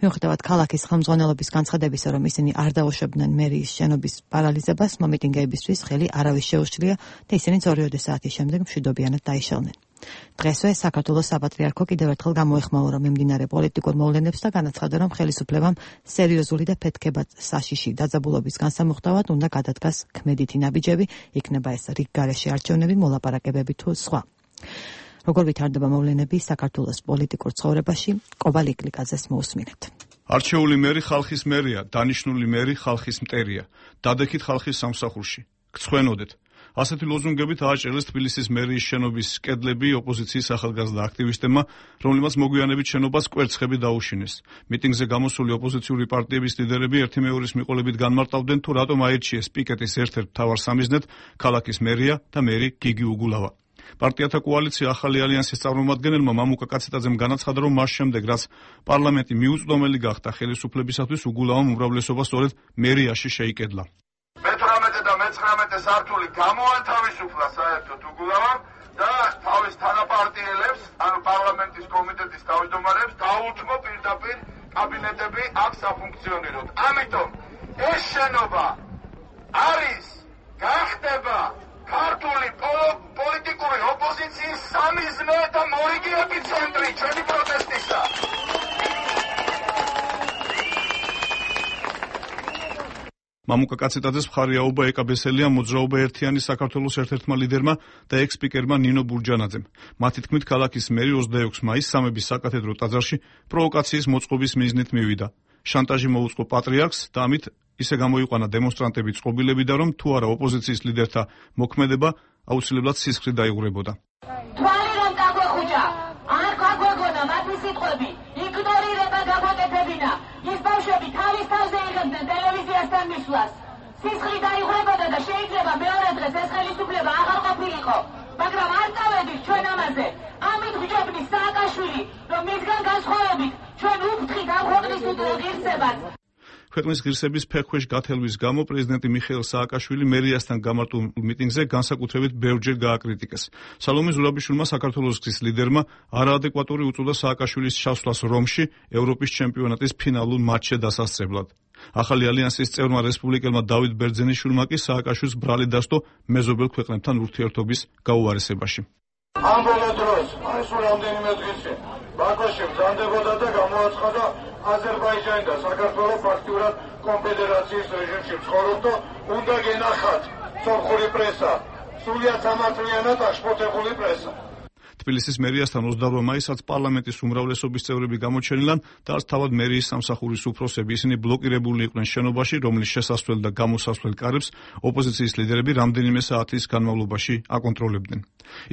A: მიუხედავად ქალაქის ხელმძღვანელობის განცხადებისა, რომ ისინი არ დაუშვებდნენ მერიის შენობის პარალიზებას, მომიტინგეებისთვის ხელი არავის შეუშლია და ისინი 2 საათის შემდეგ მშვიდობიანად დაიშალნენ. დღესვე საქართველოს საპატრიარქო კიდევ ერთხელ გამოეხმაურა მიმდინარე პოლიტიკურ მოვლენებს და განაცხადა, რომ ხელისუფლებამ სერიოზული და ფეთქებად საშიში დაძაბულობის განსამუხტავად უნდა გადადგას ქმედითი ნაბიჯები, იქნება ეს რიგგარეშე არჩევნები, მოლაპარაკებები თუ სხვა. როგორ ვითარდება მოვლენები საქართველოს პოლიტიკურ ცხოვრებაში, კობა ლიკლიკაძეს მოусმინეთ.
J: არჩეული მერი ხალხის მერია, დანიშნული მერი ხალხის მტერია. დადექით ხალხის სამსახურში. გცხვენოდეთ. ასეთი ლოზუნგებით ააჭრელეს თბილისის მერიის შენობის კედლები ოპოზიციის ახალგაზრდა აქტივისტებმა, რომლებმაც მოგვიანებით შენობას კვერცხები დაუშინეს. მიტინგზე გამოსული ოპოზიციური პარტიების ლიდერები ერთი მეორის მიყოლებით განმარტავდნენ, თუ რატომ აირჩიეს პიკეტის ერთ-ერთ მთავარ სამიზნედ ქალაქის მერია და მერი გიგი უგულავა. პარტიათა კოალიცია ახალი ალიანსის წარმომადგენელმა მამუკა კაცეტაძემ განაცხადა, რომ მას შემდეგ, რაც პარლამენტი მიუწვდომელი გახდა ხელისუფლებისათვის, უგულავამ უმრავლესობა სწორედ მერიაში შეიკედლა.
K: მე-18 და მე-19 სართული გამოანთავისუფლა საერთოდ უგულავამ და თავის თანაპარტიელებს, ანუ პარლამენტის კომიტეტის თავმჯდომარებს დაუთმო პირდაპირ კაბინეტები აქ საფუნქციონიროთ. ამიტომ ეს შენობა არის გახდება ქართული პოლიტიკური ოპოზიციის სამიზნე და მორიგი ეპიცენტრი ჩვენი პროტესტისა.
J: მამუკა კაცეტაძეს მხარი აუღა ეკაბესელია მოძრაობა ერთიანი საქართველოს ერთ-ერთმა ლიდერმა და ექს-სპიკერმა ნინო ბურჯანაძემ. მათი თქმით, ქალაქის მერი 26 მაისს სამების საკათედრო ტაძარში პროვოკაციის მოწყობის მიზნით მივიდა. შანტაჟი მოუწყო პატრიარქს და ამით ისე გამოიყვანა დემონსტრანტები წყობილები და რომ თუ არა ოპოზიციის ლიდერთა მოქმედება აუცილებლად სისხლით დაიღურებოდა.
L: თვალი რომ გაგვეხუჭა, არ გაგვეგონა მათი სიტყვები, იგნორირება გაგვეკეთებინა. ის ბავშვები თავის თავზე იღებდნენ ტელევიზიასთან მისვლას. სისხლით დაიღურებოდა და შეიძლება მეორე დღეს ეს ხელისუფლება აღარ ყოფილიყო. მაგრამ არ წავედით ჩვენ ამაზე. ამით ვიჭობთ სააკაშვილი, რომ მისგან განსხვავებით ჩვენ უფრთხით ამ ქვეყნის ღირსებას.
J: ქვეყნის ღირსების ფეხქვეშ გათელვის გამო პრეზიდენტი მიხეილ სააკაშვილი მერიასთან გამართულ მიტინგზე განსაკუთრებით ბევრჯერ გააკრიტიკეს. სალომე ზურაბიშვილმა საქართველოს გზის ლიდერმა არაადეკვატური უწოდა სააკაშვილის ჩასვლას რომში ევროპის ჩემპიონატის ფინალურ მატჩზე დასასწრებლად. ახალი ალიანსის წევრმა რესპუბლიკელმა დავით ბერძენიშვილმა კი სააკაშვილს ბრალი დასდო მეზობელ ქვეყნებთან ურთიერთობის გაუარესებაში.
K: ამ ბოლო დროს, ეს რამდენიმე დღეში ბაქოში მზადდებოდა და გამოაცხადა აზერბაიჯანი და საქართველოს ფაქტიურად კონფედერაციის რეჟიმში ცხოვრობდა, უნდა გენახათ სომხური პრესა, სულიად სამართლიანად აღშფოთებული პრესა.
J: თბილისის მერიასთან 28 მაისსაც პარლამენტის უმრავლესობის წევრები გამოჩენილან და არც თავად მერიის სამსახურის უფროსები, ისინი ბლოკირებული იყვნენ შენობაში, რომლის შესასვლელ და გამოსასვლელ კარებს ოპოზიციის ლიდერები რამდენიმე საათის განმავლობაში აკონტროლებდნენ.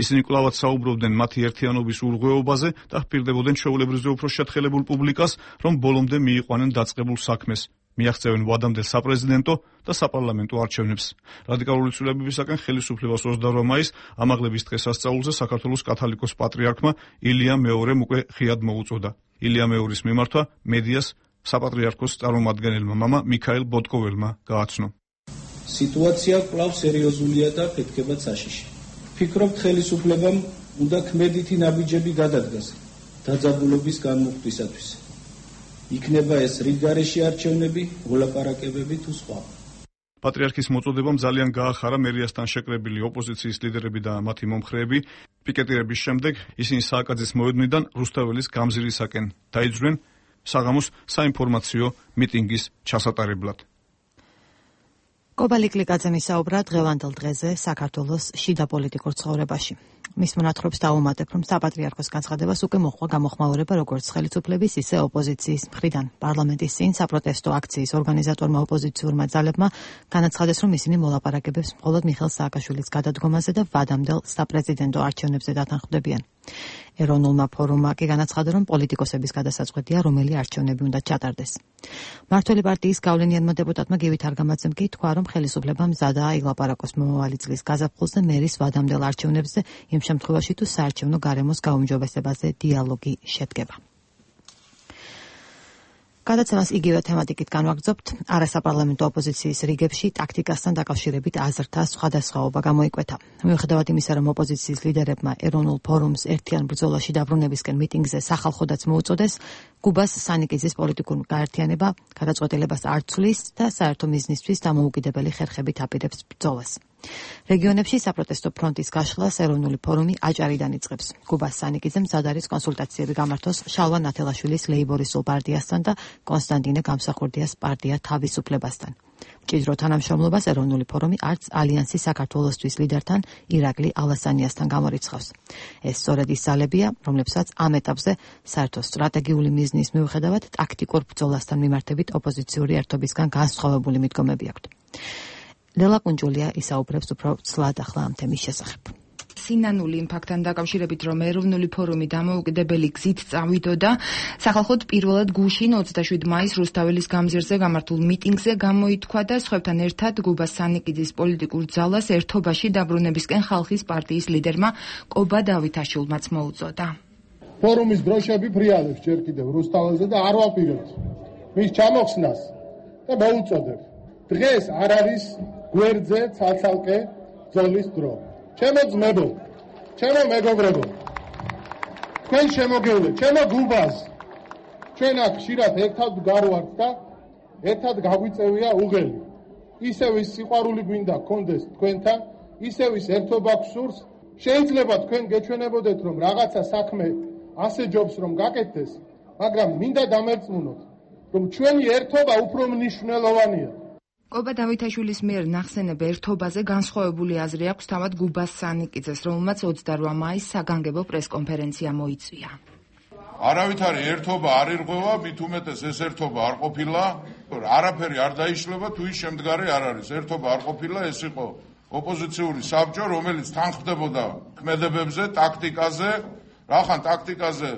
J: ისინი კვლავაც საუბრობდნენ მათი ერთიანობის ურღვეობაზე და ჰპირდებოდნენ ჩვეულებრივზე უფრო შეთხელებულ პუბლიკას, რომ ბოლომდე მიიყვანენ დაწყებულ საქმეს. მიაღწევენ ვადამდელ საპრეზიდენტო და საპარლამენტო არჩევნებს. რადიკალური ცვლილებებისაკენ ხელისუფლებას 28 მაისს ამაღლების დღესასწაულზე საქართველოს კათოლიკოს პატრიარქმა ილია მეორემ უკვე ღიად მოუწოდა. ილია მეორის მიმართვა მედიას საპატრიარქოს წარმომადგენელმა მამა მიქაელ ბოტკოველმა გააცნო.
D: სიტუაცია კვლავ სერიოზულია და ფეთქება საშიში. ფიქრობთ ხელისუფლებამ უნდა ქმედითი ნაბიჯები გადადგას დაძაბულობის განმუხტვისათვის. იქნება ეს რიგგარეშე არჩევნები, მოლაპარაკებები თუ სხვა.
J: პატრიარქის მოწოდებამ ძალიან გაახარა მერიასთან შეკრებილი ოპოზიციის ლიდერები და მათი მომხრეები. პიკეტირების შემდეგ ისინი სააკაძის მოედნიდან რუსთაველის გამზირისაკენ დაიძვრნენ საღამოს საინფორმაციო მიტინგის ჩასატარებლად.
A: კობალი კლიკაძემ ისაუბრა დღევანდელ დღეზე საქართველოს შიდა პოლიტიკურ ცხოვრებაში. მის მონათხრობს დაუმატებ, რომ საპატრიარქოს განცხადებას უკვე მოჰყვა გამოხმაურება როგორც ხელისუფლების, ისე ოპოზიციის მხრიდან. პარლამენტის წინ საპროტესტო აქციის ორგანიზატორმა ოპოზიციურმა ძალებმა განაცხადეს, რომ ისინი მოლაპარაკებებს მხოლოდ მიხეილ სააკაშვილის გადადგომაზე და ვადამდელ საპრეზიდენტო არჩევნებზე დათანხმდებიან. ეროვნულმა ფორუმმა კი განაცხადა, რომ პოლიტიკოსების გადასაწყვეტია, რომელი არჩევნები უნდა ჩატარდეს. მართველი პარტიის გავლენიანმა დეპუტატმა გივით არგამაძემ კი თქვა, რომ ხელისუფლება მზადაა ილაპარაკოს მომავალი წლის გაზაფხულზე მერის ვადამდელ არჩევნებზე, იმ შემთხვევაში თუ საარჩევნო გარემოს გაუმჯობესებაზე დიალოგი შედგება. გადაცემას იგივე თემატიკით განვაგრძობთ. არასაპარლამენტო ოპოზიციის რიგებში ტაქტიკასთან დაკავშირებით აზრთა სხვადასხვაობა გამოიკვეთა. მიუხედავად იმისა, რომ ოპოზიციის ლიდერებმა ეროვნულ ფორუმს ერთიან ბრძოლაში დაბრუნებისკენ მიტინგზე სახალხოდაც მოუწოდეს, კუბას სანიკიძის პოლიტიკურ გაერთიანება გადაწყვეტილებას არ ცვლის და საერთო მიზნისთვის დამოუკიდებელი ხერხებით აპირებს ბრძოლას. რეგიონებში საპროტესტო ფრონტის გაშლას ეროვნული ფორუმი აჭარიდან იწყებს. კუბას სანიკიძემ მზად არის კონსულტაციები გამართოს შალვა ნათელაშვილის ლეიბორისტულ პარტიასთან და კონსტანტინე გამსახურდიას პარტია თავისუფლებასთან. მჭიდრო თანამშრომლობას ეროვნული ფორუმი არც ალიანსის საქართველოსთვის ლიდერთან ირაკლი ალასანიასთან გამორიცხავს. ეს სწორედ ის ძალებია, რომლებსაც ამ ეტაპზე საერთო სტრატეგიული მიზნის მიუხედავად ტაქტიკურ ბრძოლასთან მიმართებით ოპოზიციური ერთობისგან განსხვავებული მიდგომები აქვთ. ლელა კუნჯულია ისაუბრებს უფრო ცლად ახლა ამ თემის შესახებ.
F: სინანული იმ ფაქტთან დაკავშირებით, რომ ეროვნული ფორუმი დამოუკიდებელი გზით წავიდოდა, სახალხოდ პირველად გუშინ 27 მაისს რუსთაველის გამზირზე გამართულ მიტინგზე გამოითქვა და სხვებთან ერთად გუბას სანიკიძის პოლიტიკურ ძალას ერთობაში დაბრუნებისკენ ხალხის პარტიის ლიდერმა კობა დავითაშვილმაც მოუწოდა.
M: ფორუმის დროშები ფრიალებს ჯერ კიდევ რუსთაველზე და არ ვაპირებთ მის ჩამოხსნას და მოუწოდებ. დღეს არ არის გვერდზე ცალ-ცალკე ბრძოლის დრო. ჩემო ძმებო, ჩემო მეგობრებო, თქვენ შემოგევლეთ, ჩემო გუბას. ჩვენ აქ ხშირად ერთად გავართ და ერთად გაგვიწევია უღელი. ისევ ის სიყვარული გვინდა გქონდეს თქვენთან, ისევ ის ერთობა გსურს. შეიძლება თქვენ გეჩვენებოდეთ, რომ რაღაცა საქმე ასე ჯობს რომ გაკეთდეს, მაგრამ მინდა დამერწმუნოთ, რომ ჩვენი ერთობა უფრო მნიშვნელოვანია.
F: კობა დავითაშვილის მიერ ნახსენებ ერთობაზე განსხვავებული აზრი აქვს თავად გუბას სანიკიძეს, რომელმაც 28 მაისს საგანგებო პრესკონფერენცია მოიწვია.
K: არავითარი ერთობა არ ირღვევა, მით უმეტეს ეს ერთობა არ ყოფილა, არაფერი არ დაიშლება, თუ ის შემდგარი არ არის. ერთობა არ ყოფილა, ეს იყო ოპოზიციური საბჭო, რომელიც თანხმდებოდა ქმედებებზე, ტაქტიკაზე, რახან ტაქტიკაზე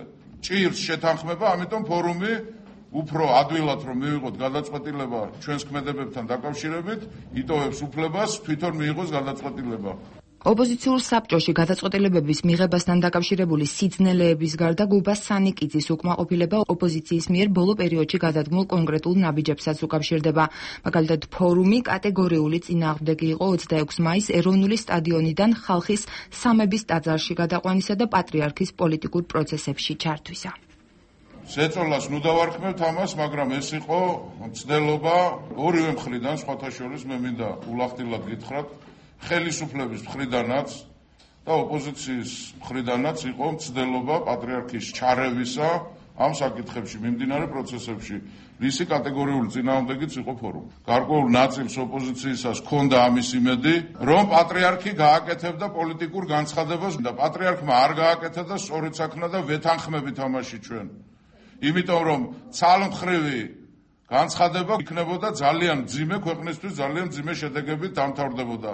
K: ჭირს შეთანხმება, ამიტომ ფორუმი უფრო ადვილად რომ მივიღოთ გადაწყვეტილება ჩვენს ქმედებებთან დაკავშირებით, იტოვებს უფლებას თვითონ მიიღოს გადაწყვეტილება.
F: ოპოზიციურ საბჭოში გადაწყვეტილებების მიღებასთან დაკავშირებული სიძნელეების გარდა გუბას სანიკიძის უკმაყოფილება ოპოზიციის მიერ ბოლო პერიოდში გადადგმულ კონკრეტულ ნაბიჯებსაც უკავშირდება. მაგალითად, ფორუმი კატეგორიული წინააღმდეგი იყო 26 მაისს ეროვნული სტადიონიდან ხალხის სამების ტაძარში გადაყვანისა და პატრიარქის პოლიტიკურ პროცესებში ჩართვისა.
K: შეწოლას ნუ დავარქმევთ ამას, მაგრამ ეს იყო მცდელობა ორივე მხრიდან, სხვათა შორის მე მინდა ულახდილად გითხრათ, ხელისუფლების მხრიდანაც და ოპოზიციის მხრიდანაც იყო მცდელობა პატრიარქის ჩარევისა ამ საკითხებში, მიმდინარე პროცესებში, რისი კატეგორიული წინააღმდეგიც იყო ფორუმი. გარკვეულ ნაწილს ოპოზიციისას ჰქონდა ამის იმედი, რომ პატრიარქი გააკეთებდა პოლიტიკურ განცხადებას და პატრიარქმა არ გააკეთა და სწორედ საქმე და ვეთანხმებით ამაში ჩვენ. იმიტომ რომ ცალმხრივი განცხადება იქნებოდა ძალიან მძიმე ქვეყნისთვის, ძალიან მძიმე შედეგებით დამთავრდებოდა.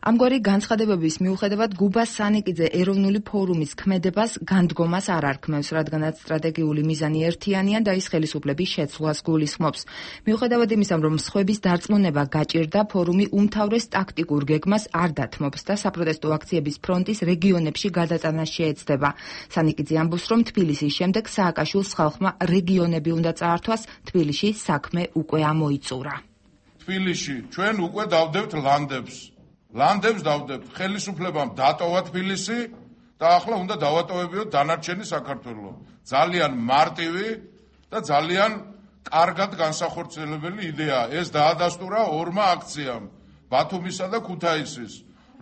F: ამგვარი განცხადებების მიუხედავად გუბას სანიკიძე ეროვნული ფორუმის ქმედებას განდგომას არ არქმევს, რადგანაც სტრატეგიული მიზანი ერთიანია და ის ხელისუფლების შეცვლას გულისხმობს. მიუხედავად იმისა, რომ სხვების დარწმუნება გაჭირდა, ფორუმი უმთავრეს ტაქტიკურ გეგმას არ დათმობს და საპროტესტო აქციების ფრონტის რეგიონებში გადატანას შეეცდება. სანიკიძე ამბობს, რომ თბილისის შემდეგ სააკაშვილს ხალხმა რეგიონები უნდა წაართვას, თბილისში საქმე უკვე ამოიწურა.
K: თბილისში ჩვენ უკვე დავდებთ ლანდებს დავდებთ, ხელისუფლებამ დატოვა თბილისი და ახლა უნდა დავატოვებიოთ დანარჩენი საქართველო. ძალიან მარტივი და ძალიან კარგად განსახორციელებელი იდეაა. ეს დაადასტურა ორმა აქციამ, ბათუმისა და ქუთაისის.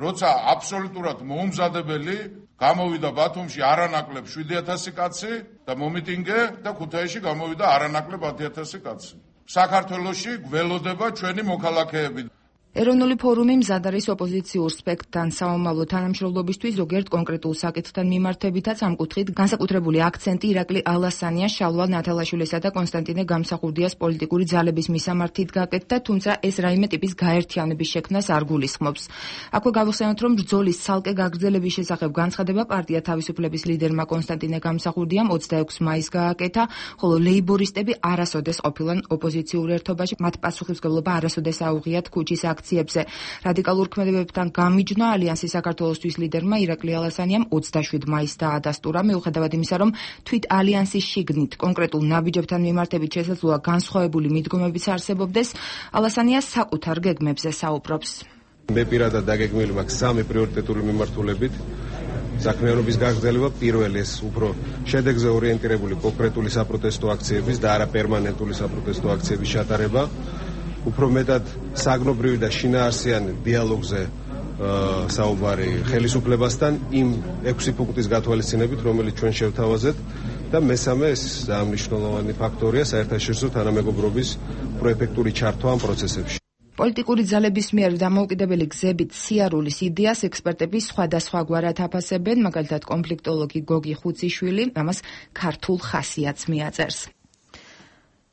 K: როცა აბსოლუტურად მოუმზადებელი გამოვიდა ბათუმში არანაკლებ 7000 კაცი და მომიტინგე და ქუთაისში გამოვიდა არანაკლებ 10000 კაცი. საქართველოში გველოდება ჩვენი მოქალაქეები.
F: ეროვნული ფორუმი მზად არის ოპოზიციურ სპექტრთან სამომავლო თანამშრომლობისთვის, ზოგიერთ კონკრეტულ საკითხთან მიმართებითაც ამ კუთხით განსაკუთრებული აქცენტი ირაკლი ალასანიას, შალვა ნათელაშვილისა და კონსტანტინე გამსახურდიას პოლიტიკური ძალების მისამართით გაკეთდა, თუმცა ეს რაიმე ტიპის გაერთიანების შექმნას არ გულისხმობს. აქვე გავიხსენოთ, რომ ბრძოლის ცალკე გაგრძელების შესახებ განცხადება პარტია თავისუფლების ლიდერმა კონსტანტინე გამსახურდიამ 26 მაისს გააკეთა, ხოლო ლეიბორისტები არასოდეს ყოფილან ოპოზიციურ ერთობაში, მათ პასუხისმგებლობა არასოდეს აუღიათ ქუჩის აქციებზე. რადიკალურ ქმედებებთან გამიჯნა ალიანსის საქართველოსთვის ლიდერმა ირაკლი ალასანიამ 27 მაისს დაადასტურა, მიუხედავად იმისა, რომ თვით ალიანსის შიგნით კონკრეტულ ნაბიჯებთან მიმართებით შესაძლოა განსხვავებული მიდგომებიც არსებობდეს, ალასანია საკუთარ გეგმებზე საუბრობს.
N: მე პირადად დაგეგმილი მაქვს 3 პრიორიტეტული მიმართულებით. საქმიანობის გაგრძელება, პირველი ეს უფრო შედეგზე ორიენტირებული კონკრეტული საპროტესტო აქციების და არა პერმანენტული საპროტესტო აქციების ჩატარება. უფრო მეტად საგნობრივი და შინაარსიანი დიალოგზე საუბარი ხელისუფლებასთან იმ 6 პუნქტის გათვალისწინებით, რომელიც ჩვენ შევთავაზეთ და მესამე ეს მნიშვნელოვანი ფაქტორია საერთაშორისო თანამეგობრობის პროეფექტური ჩართვა ამ პროცესებში.
F: პოლიტიკური ძალების მიერ დამოუკიდებელი გზებით სიარულის იდეას ექსპერტები სხვადასხვაგვარად აფასებენ, მაგალითად კონფლიქტოლოგი გოგი ხუციშვილი ამას ქართულ ხასიათს მიაწერს.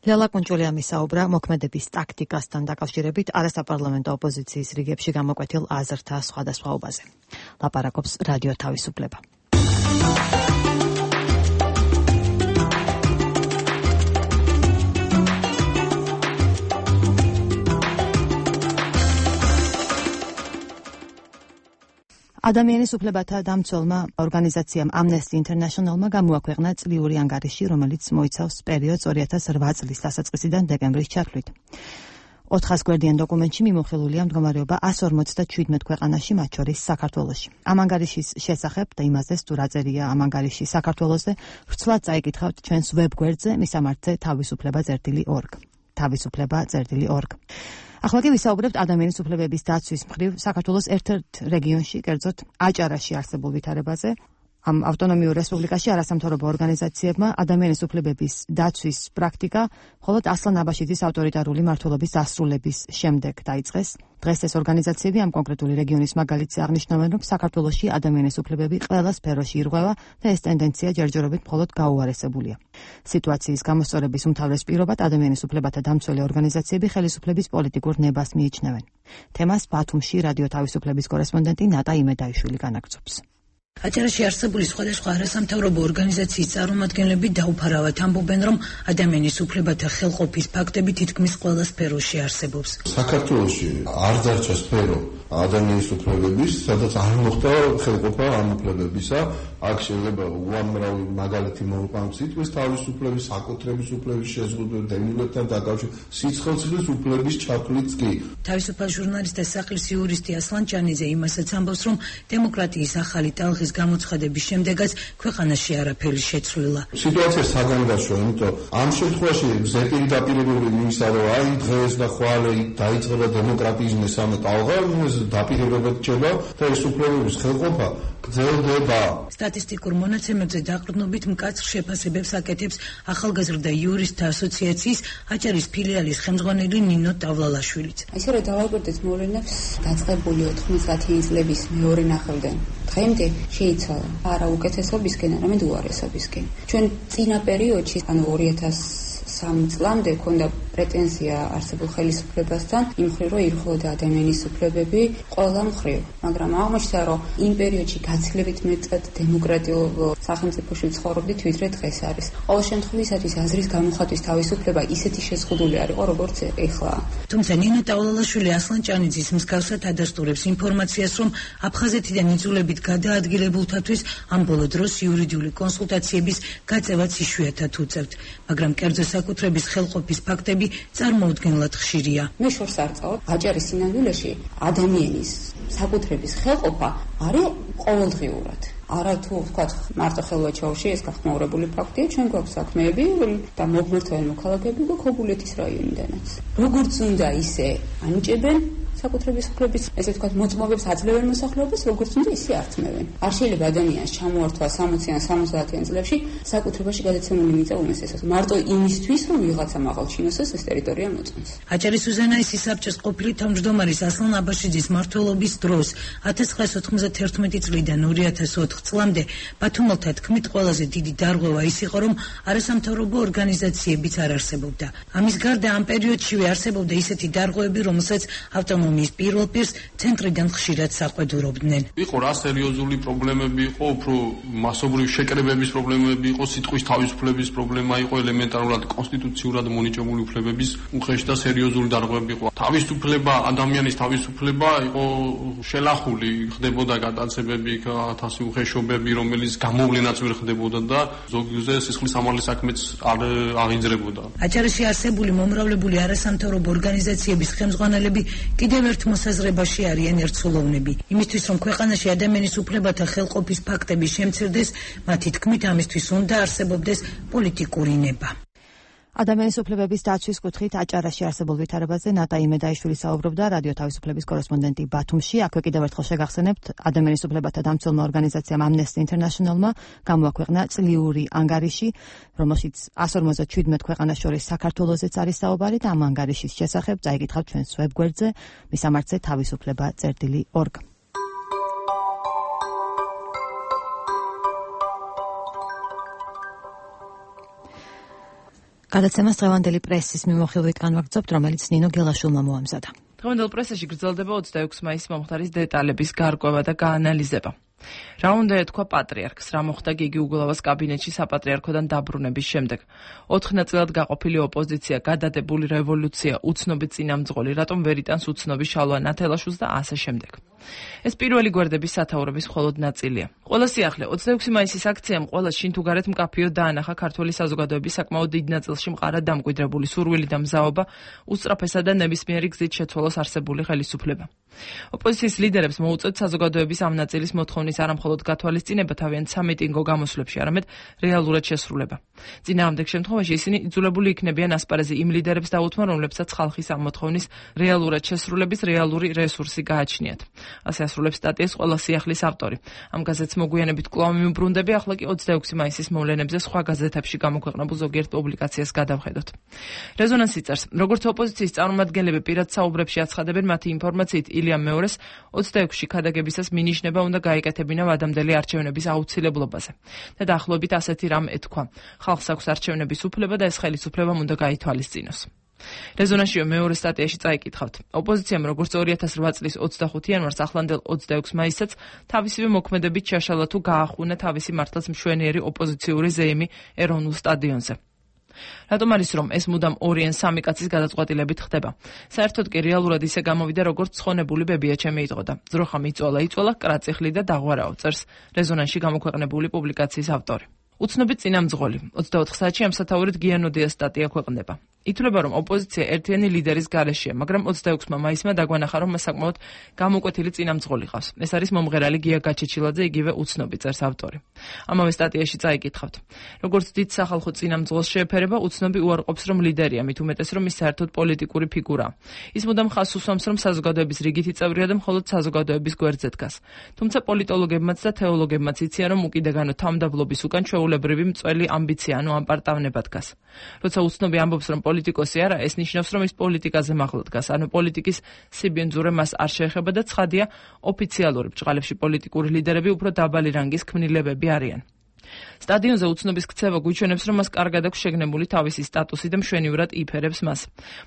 A: ლელა კუნჭულია მისაუბრა მოქმედების ტაქტიკასთან დაკავშირებით არასაპარლამენტო ოპოზიციის რიგებში გამოკვეთილ აზრთა სხვადასხვაობაზე. ლაპარაკობს რადიო თავისუფლება. ადამიანის უფლებათა დამცველმა ორგანიზაციამ Amnesty International-მა გამოაქვეყნა წლიური ანგარიში, რომელიც მოიცავს პერიოდს 2008 წლის დასაწყისიდან დეკემბრის ჩათვლით. 400 გვერდიან დოკუმენტში მიმოხილულია მდგომარეობა 157 ქვეყანაში, მათ შორის საქართველოში. ამ ангარიშის შესახებ და იმაზე, თუ რა წერია ამ ანგარიში საქართველოზე, ვრცლად წაიკითხავთ ჩვენს ვებგვერდზე მისამართზე თავისუფლება.org. თავისუფლება.org. ახლა კი ვისაუბრებთ ადამიანის უფლებების დაცვის მხრივ საქართველოს ერთ-ერთ რეგიონში, კერძოდ აჭარაში არსებულ ვითარებაზე. ამ ავტონომიურ რესპუბლიკაში არასამთავრობო ორგანიზაციებმა ადამიანის უფლებების დაცვის პრაქტიკა მხოლოდ ასლან აბაშიძის ავტორიტარული მმართველობის დასრულების შემდეგ დაიწყეს. დღეს ეს ორგანიზაციები ამ კონკრეტული რეგიონის მაგალითზე აღნიშნავენ, რომ საქართველოში ადამიანის უფლებები ყველა სფეროში ირღვევა და ეს ტენდენცია ჯერჯერობით მხოლოდ გაუარესებულია. სიტუაციის გამოსწორების უმთავრეს პირობად ადამიანის უფლებათა დამცველი ორგანიზაციები ხელისუფლების პოლიტიკურ ნებას მიიჩნევენ. თემას ბათუმში რადიო თავისუფლების კორესპონდენტი ნატა იმედაიშვილი განაგრძობს.
O: აჭარაში არსებული სხვადასხვა არასამთავრობო ორგანიზაციის წარმომადგენლები დაუფარავად ამბობენ, რომ ადამიანის უფლებათა ხელყოფის ფაქტები თითქმის ყველა სფეროში არსებობს.
P: საქართველოში არ დარჩა სფერო ადამიანის უფლებების, სადაც არ მოხდა ხელყოფა ამ უფლებებისა. აქ შეიძლება უამრავი მაგალითი მოვიყვანოთ სიტყვის თავისუფლების, საკუთრების უფლების შეზღუდვა, დევნილებთან დაკავშირებით, სიცხელის უფლების ჩათვლით კი.
O: თავისუფალ ჟურნალისტ და სახლის იურისტი ასლან ჭანიძე იმასაც ამბობს, რომ დემოკრატიის ახალი ტალღის გამოცხადების შემდეგაც ქვეყანაში არაფერი შეცვლილა.
P: სიტუაცია საგანგაშოა, იმიტომ ამ შემთხვევაში ზეპირი დაპირებებული იმისა, რომ აი დღეს და ხვალე დაიწყება დემოკრატიის მესამე ტალღა, დაპირებებად რჩება და ეს უფლებების ხელყოფა გრძელდება.
O: სტატისტიკურ მონაცემებზე დაყრდნობით მკაცრ შეფასებებს აკეთებს ახალგაზრდა იურისტთა ასოციაციის აჭარის ფილიალის ხელმძღვანელი ნინო ტავლალაშვილიც.
E: ისე რომ დავაკვირდეთ მოვლენებს დაწყებული 90-იანი წლების მეორე ნახევრიდან დღემდე შეიცვალა არა უკეთესობისკენ, არამედ უარესობისკენ. ჩვენ წინა პერიოდში, ანუ 2003 წლამდე ქონდა პრეტენზია არსებულ ხელისუფლებასთან, იმ მხრივ, რომ ირღვეოდა ადამიანის უფლებები ყველა მხრივ. მაგრამ აღმოჩნდა, რომ იმ პერიოდში გაცილებით მეტად დემოკრატიულ სახელმწიფოში ცხოვრობდით, ვიდრე დღეს არის. ყოველ შემთხვევაში აზრის გამოხატვის თავისუფლება ისეთი შეზღუდული არ იყო, როგორც ეხლა.
O: თუმცა ნინო ტავლალაშვილი ასლან ჭანიძის მსგავსად ადასტურებს ინფორმაციას, რომ აფხაზეთიდან იძულებით გადაადგილებულთათვის ამ ბოლო დროს იურიდიული კონსულტაციების გაწევაც იშვიათად უწევთ, მაგრამ კერძო საკუთრების ხელყოფის ფაქტები წარმოუდგენლად ხშირია.
E: მე შორს არ წავ, აჭარის სინამდვილეში ადამიანის საკუთრების ხელყოფა არის ყოველდღიურად. არა თუ ვთქვათ მარტო ხელვაჩაურში ეს გახმაურებული ფაქტია, ჩვენ გვაქვს საქმეები და მოგმართვენ მოქალაქეები გქობულეთის რაიონიდანაც. როგორც უნდა ისე ანიჭებენ საკუთრების უფლების, ესე ვთქვათ, მოწმობებს აძლევენ მოსახლეობას, როგორც უნდა ისე ართმევენ. არ შეიძლება ადამიანს ჩამოართვა 60-ან 70-იან წლებში საკუთრებაში გადაცემული მიწა უმესესად. მარტო იმისთვის, რომ ვიღაცა მაღალ ჩინოსას ეს ტერიტორია მოწმოს.
O: აჭარის უზენაესი საბჭოს ყოფილი თავმჯდომარის ასლან აბაშიძის მმართველობის დროს 1991 წლიდან 2004 წლამდე ბათუმელთა თქმით ყველაზე დიდი დარღვევა ის იყო, რომ არასამთავრობო ორგანიზაციებიც არ არსებობდა. ამის გარდა ამ პერიოდშივე არსებობდა ისეთი დარღვევები, რომელსაც ავტონომიის პირველ პირს ცენტრიდან ხშირად საყვედურობდნენ.
G: იყო რა სერიოზული პრობლემები იყო, უფრო მასობრივი შეკრებების პრობლემები იყო, სიტყვის თავისუფლების პრობლემა იყო, ელემენტარულად კონსტიტუციურად მონიჭებული უფლებების უხეში და სერიოზული დარღვევები იყო. თავისუფლება, ადამიანის თავისუფლება იყო შელახული, ხდებოდა გადაცემები, ათასი უხეშობები, რომელიც გამოვლენაც ვერ ხდებოდა და ზოგიერთზე სისხლის სამართლის საქმეც არ აღიძრებოდა.
O: აჭარაში არსებული მომრავლებული არასამთავრობო ორგანიზაციების ხელმძღვანელები კიდევ ერთ მოსაზრებაში არიან ერთსულოვნები. იმისთვის, რომ ქვეყანაში ადამიანის უფლებათა ხელყოფის ფაქტები შემცირდეს, მათი თქმით ამისთვის უნდა არსებობდეს პოლიტიკური ნება.
A: ადამიანის უფლებების დაცვის კუთხით აჭარაში არსებულ ვითარებაზე ნატა იმედაიშვილი საუბრობდა რადიო თავისუფლების კორესპონდენტი ბათუმში. აქვე კიდევ ერთხელ შეგახსენებთ, ადამიანის უფლებათა დამცველმა ორგანიზაციამ Amnesty International-მა გამოაქვეყნა წლიური ანგარიში, რომელშიც 157 ქვეყანას შორის საქართველოზეც არის საუბარი და ამ ანგარიშის შესახებ წაიკითხავთ ჩვენს ვებგვერდზე მისამართზე თავისუფლება.org. გადაცემას დღევანდელი პრესის მიმოხილვით განვაგრძობთ, რომელიც ნინო გელაშვილმა მოამზადა.
F: დღევანდელ პრესაში გრძელდება 26 მაისის მომხდარის დეტალების გარკვევა და გაანალიზება. რა უნდა ეთქვა პატრიარქს, რა მოხდა გიგი უგულავას კაბინეტში საპატრიარქოდან დაბრუნების შემდეგ. 4 ნაწილად გაყოფილი ოპოზიცია, გადადებული რევოლუცია, უცნობი წინამძღოლი, რატომ ვერ იტანს უცნობი შალვა ნათელაშვილს და ასე შემდეგ. ეს პირველი გვერდების სათაურების მხოლოდ ნაწილია. ყველა სიახლე 26 მაისის აქციამ ყველა შინ თუ გარეთ მკაფიოდ დაანახა ქართული საზოგადოების საკმაოდ დიდ ნაწილში მყარად დამკვიდრებული სურვილი და მზაობა უსწრაფესა და ნებისმიერი გზით შეცვალოს არსებული ხელისუფლება. ოპოზიციის ლიდერებს მოუწევთ საზოგადოების ამ ნაწილის მოთხოვნის არამხოლოდ გათვალისწინება თავიანთ სამიტინგო გამოსვლებში, არამედ რეალურად შესრულება. წინააღმდეგ შემთხვევაში ისინი იძულებული იქნებიან ასპარეზი იმ ლიდერებს დაუთმონ, რომლებსაც ხალხის ამ მოთხოვნის რეალურად შესრულების რეალური რესურსი გააჩნიათ. ასე ასრულებს სტატიას ყველა სიახლის ავტორი. ამ გაზეთს მოგვიანებით კვლავ მიმბრუნდები, ახლა კი 26 მაისის მოვლენებზე სხვა გაზეთებში გამოქვეყნებულ ზოგიერთ პუბლიკაციას გადავხედოთ. რეზონანსი წერს, როგორც ოპოზიციის წარმომადგენლები პირად საუბრებში აცხადებენ, მათი ინფორმაციით ილიამ მეორეს 26-ში ქადაგებისას მინიშნება უნდა გაეკეთებინა ვადამდელი არჩევნების აუცილებლობაზე. და დაახლოებით ასეთი რამ ეთქვა. ხალხს აქვს არჩევნების უფლება და ეს ხელისუფლებამ უნდა გაითვალისწინოს. რეზონანსიო მეორე სტატიაში წაიკითხავთ. ოპოზიციამ როგორც 2008 წლის 25 იანვარს ახლანდელ 26 მაისსაც თავისივე მოქმედებით შეშალა თუ გაახუნა თავისი მართლაც მშვენიერი ოპოზიციური ზეიმი ეროვნულ სტადიონზე. რატომ არის რომ ეს მუდამ 2 ან 3 კაცის გადაწყვეტილებით ხდება? საერთოდ კი რეალურად ისე გამოვიდა როგორც ცხონებული ბებია ჩემი იტყოდა. ძროხა მიწვალა, კრაწიხლი და დაღვარაო, წერს რეზონანსში გამოქვეყნებული პუბლიკაციის ავტორი. უცნობი წინამძღოლი 24 საათში ამ სათაურით გიანოდიას სტატია ქვეყნდება. ითვლება რომ ოპოზიცია ერთიანი ლიდერის გარეშეა, მაგრამ 26 მაისმა დაგვანახა რომ მას საკმაოდ გამოკვეთილი წინამძღოლი ყავს. ეს არის მომღერალი გია გაჩეჩილაძე, იგივე უცნობი, წერს ავტორი. ამავე სტატიაში წაიკითხავთ. როგორც დიდ სახალხო წინამძღოლს შეეფერება, უცნობი უარყოფს რომ ლიდერია, მით უმეტეს რომ ის საერთოდ პოლიტიკური ფიგურაა. ის მუდამ ხაზს უსვამს რომ საზოგადოების რიგითი წევრია და მხოლოდ საზოგადოების გვერდზე დგას. თუმცა პოლიტოლოგებმაც და თეოლოგებმაც იციან რომ უკიდაგანო თავმდაბლობის უკან ჩვეულებრივი მწველი ამბიცია, ანუ ამპარტავნება დგას. როცა უცნობი ამბობს რომ პოლიტიკოსი არა, ეს ნიშნავს რომ ის პოლიტიკაზე მაღლა დგას, ანუ პოლიტიკის სიბინძურე მას არ შეეხება და ცხადია ოფიციალური ბჭყალებში პოლიტიკური ლიდერები უფრო დაბალი რანგის ქმნილებები არიან. სტადიონზე უცნობის ქცევა გვიჩვენებს რომ მას კარგად აქვს შეგნებული თავისი სტატუსი და მშვენივრად იფერებს მას.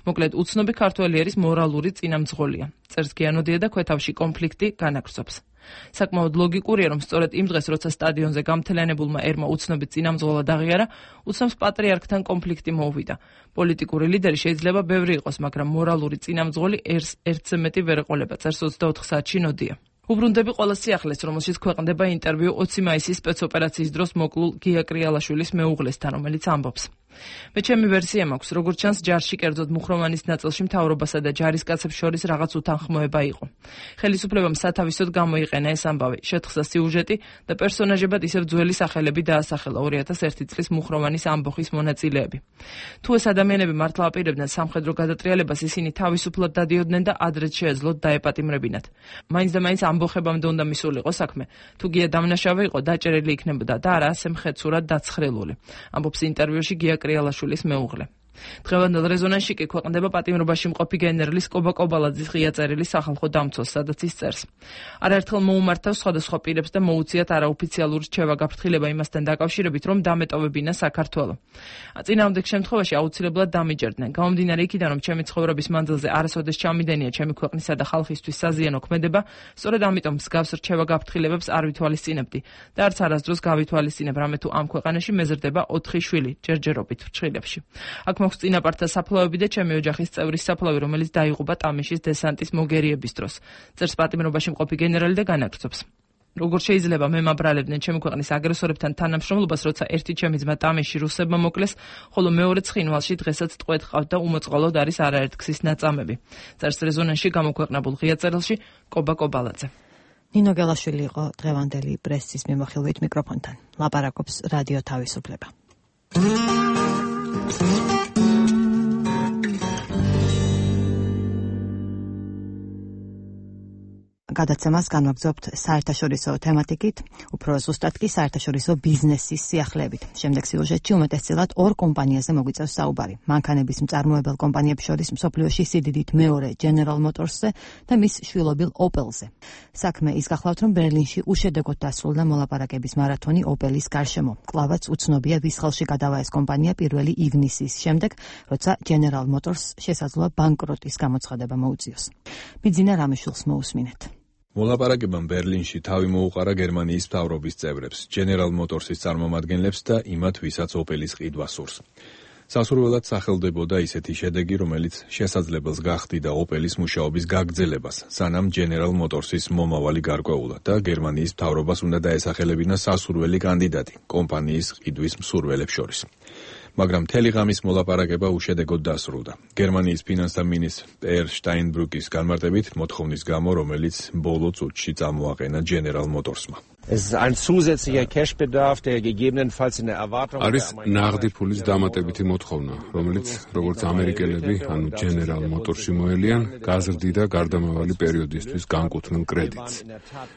F: მოკლედ უცნობი ქართველი არის მორალური წინამძღოლია. წერს გიანოდია და ქვეთავში კონფლიქტი განაგრძობს. საკმაოდ ლოგიკურია რომ სწორედ იმ დღეს როცა სტადიონზე გამთლიანებულმა ერმა უცნობი წინამძღოლად აღიარა, უცნობს პატრიარქთან კონფლიქტი მოუვიდა. პოლიტიკური ლიდერი შეიძლება ბევრი იყოს, მაგრამ მორალური წინამძღოლი ერთზე მეტი ვერ ეყოლება, წერს 24 საათში ნოდია. უბრუნდები ყველა სიახლეს, რომელშიც ქვეყნდება ინტერვიუ 20 მაისის სპეცოპერაციის დროს მოკლულ გია კრიალაშვილის მეუღლესთან, რომელიც ამბობს. მე ჩემი ვერსია მაქვს, როგორც ჩანს ჯარში კერძოდ მუხროვანის ნაწილში მთავრობასა და ჯარისკაცებს შორის რაღაც უთანხმოება იყო. ხელისუფლებამ სათავისოდ გამოიყენა ეს ამბავი, შეთხსა სიუჟეტი და პერსონაჟებად ისევ ძველი სახელები დაასახელა 2001 წლის მუხროვანის ამბოხის მონაწილეები. თუ ეს ადამიანები მართლა აპირებდნენ სამხედრო გადატრიალებას, ისინი თავისუფლად დადიოდნენ და ადრეც შეეძლოთ დაეპატიმრებინათ. მაინც და მაინც ამბოხებამდე უნდა მისულიყო საქმე. თუ გია დამნაშავე იყო, დაჭერილი იქნებოდა და არა ასე მხეცურად დაცხრილული. ამბობს ინტერვიუში გია კრიალაშვილის მეუღლე. დღევანდელ რეზონანსში კი ქვეყნდება პატიმრობაში მყოფი გენერლის კობა კობალაძის ღია წერილი სახალხო დამცველს, სადაც ის წერს. არაერთხელ მოუმართავს სხვადასხვა პირებს და მოუწიათ არაოფიციალური რჩევა გაფრთხილება იმასთან დაკავშირებით, რომ დამეტოვებინა საქართველო. წინააღმდეგ შემთხვევაში აუცილებლად დამიჯერდნენ. გამომდინარე იქიდან, რომ ჩემი ცხოვრების მანძილზე არასოდეს ჩამიდენია ჩემი ქვეყნისა და ხალხისთვის საზიანო ქმედება, სწორედ ამიტომ მსგავს რჩევა გაფრთხილებებს არ ვითვალისწინებდი და არც არასდროს გავითვალისწინებ, რამე თუ ამ ქვეყანაში მეზრდება 4 შვილი ჯერჯერობით ფრჩხილებში. აქ მოხს წინაპართა საფლავები და ჩემი ოჯახის წევრის საფლავი, რომელიც დაიღუპა ტამიშის დესანტის მოგერიების დროს. წერს პატიმრობაში მყოფი გენერალი და განაგრძობს. როგორ შეიძლება მე მაბრალებდნენ ჩემი ქვეყნის აგრესორებთან თანამშრომლობას, როცა ერთი ჩემი ძმა ტამიში რუსებმა მოკლეს, ხოლო მეორე ცხინვალში დღესაც ტყვედ ყავთ და უმოწყალოდ არის არაერთგზის ნაწამები. წერს რეზონანსში გამოქვეყნებულ ღია წერილში კობა კობალაძე.
A: ნინო გელაშვილი იყო დღევანდელი პრესის მიმოხილვით მიკროფონთან. ლაპარაკობს რადიო თავისუფლება.
B: გადაცემას განვაგრძობთ საერთაშორისო თემატიკით, უფრო ზუსტად კი საერთაშორისო ბიზნესის სიახლეებით. შემდეგ სიუჟეტში უმეტესწილად ორ კომპანიაზე მოგვიწევს საუბარი. მანქანების მწარმოებელ კომპანიებს შორის მსოფლიოში სიდიდით მეორე General Motors-ზე და მის შვილობილ Opel-ზე. საქმე ის გახლავთ, რომ ბერლინში უშედეგოდ დასრულდა მოლაპარაკების მარათონი Opel-ის გარშემო. კლავაც უცნობია, ვის ხელში გადავა ეს კომპანია 1 ივნისის შემდეგ, როცა General Motors შესაძლოა ბანკროტის გამოცხადება მოუწიოს. ბიძინა რამიშვილს მოусმინეთ.
Q: მოლაპარაკებამ ბერლინში თავი მოუყარა გერმანიის მთავრობის წევრებს, General Motors-ის წარმომადგენლებს და იმათ, ვისაც Opel-ის ყიდვა სურს. სასურველად სახელდებოდა ისეთი შედეგი, რომელიც შესაძლებელს გახდიდა Opel-ის მუშაობის გაგრძელებას, სანამ General Motors-ის მომავალი გარკვეულა და გერმანიის მთავრობას უნდა დაესახელებინა სასურველი კანდიდატი კომპანიის ყიდვის მსურველებს შორის. მაგრამ მთელი ღამის მოლაპარაკება უშედეგოდ დასრულდა. გერმანიის ფინანსთა მინისტრ პერ შტაინბრუკის განმარტებით მოთხოვნის გამო, რომელიც ბოლო წუთში წამოაყენა General Motors-მა.
G: არის ნაღდი ფულის დამატებითი მოთხოვნა, რომელიც, როგორც ამერიკელები, ანუ General Motors-ი მოელიან, გაზრდიდა გარდამავალი პერიოდისთვის განკუთვნილ კრედიტს.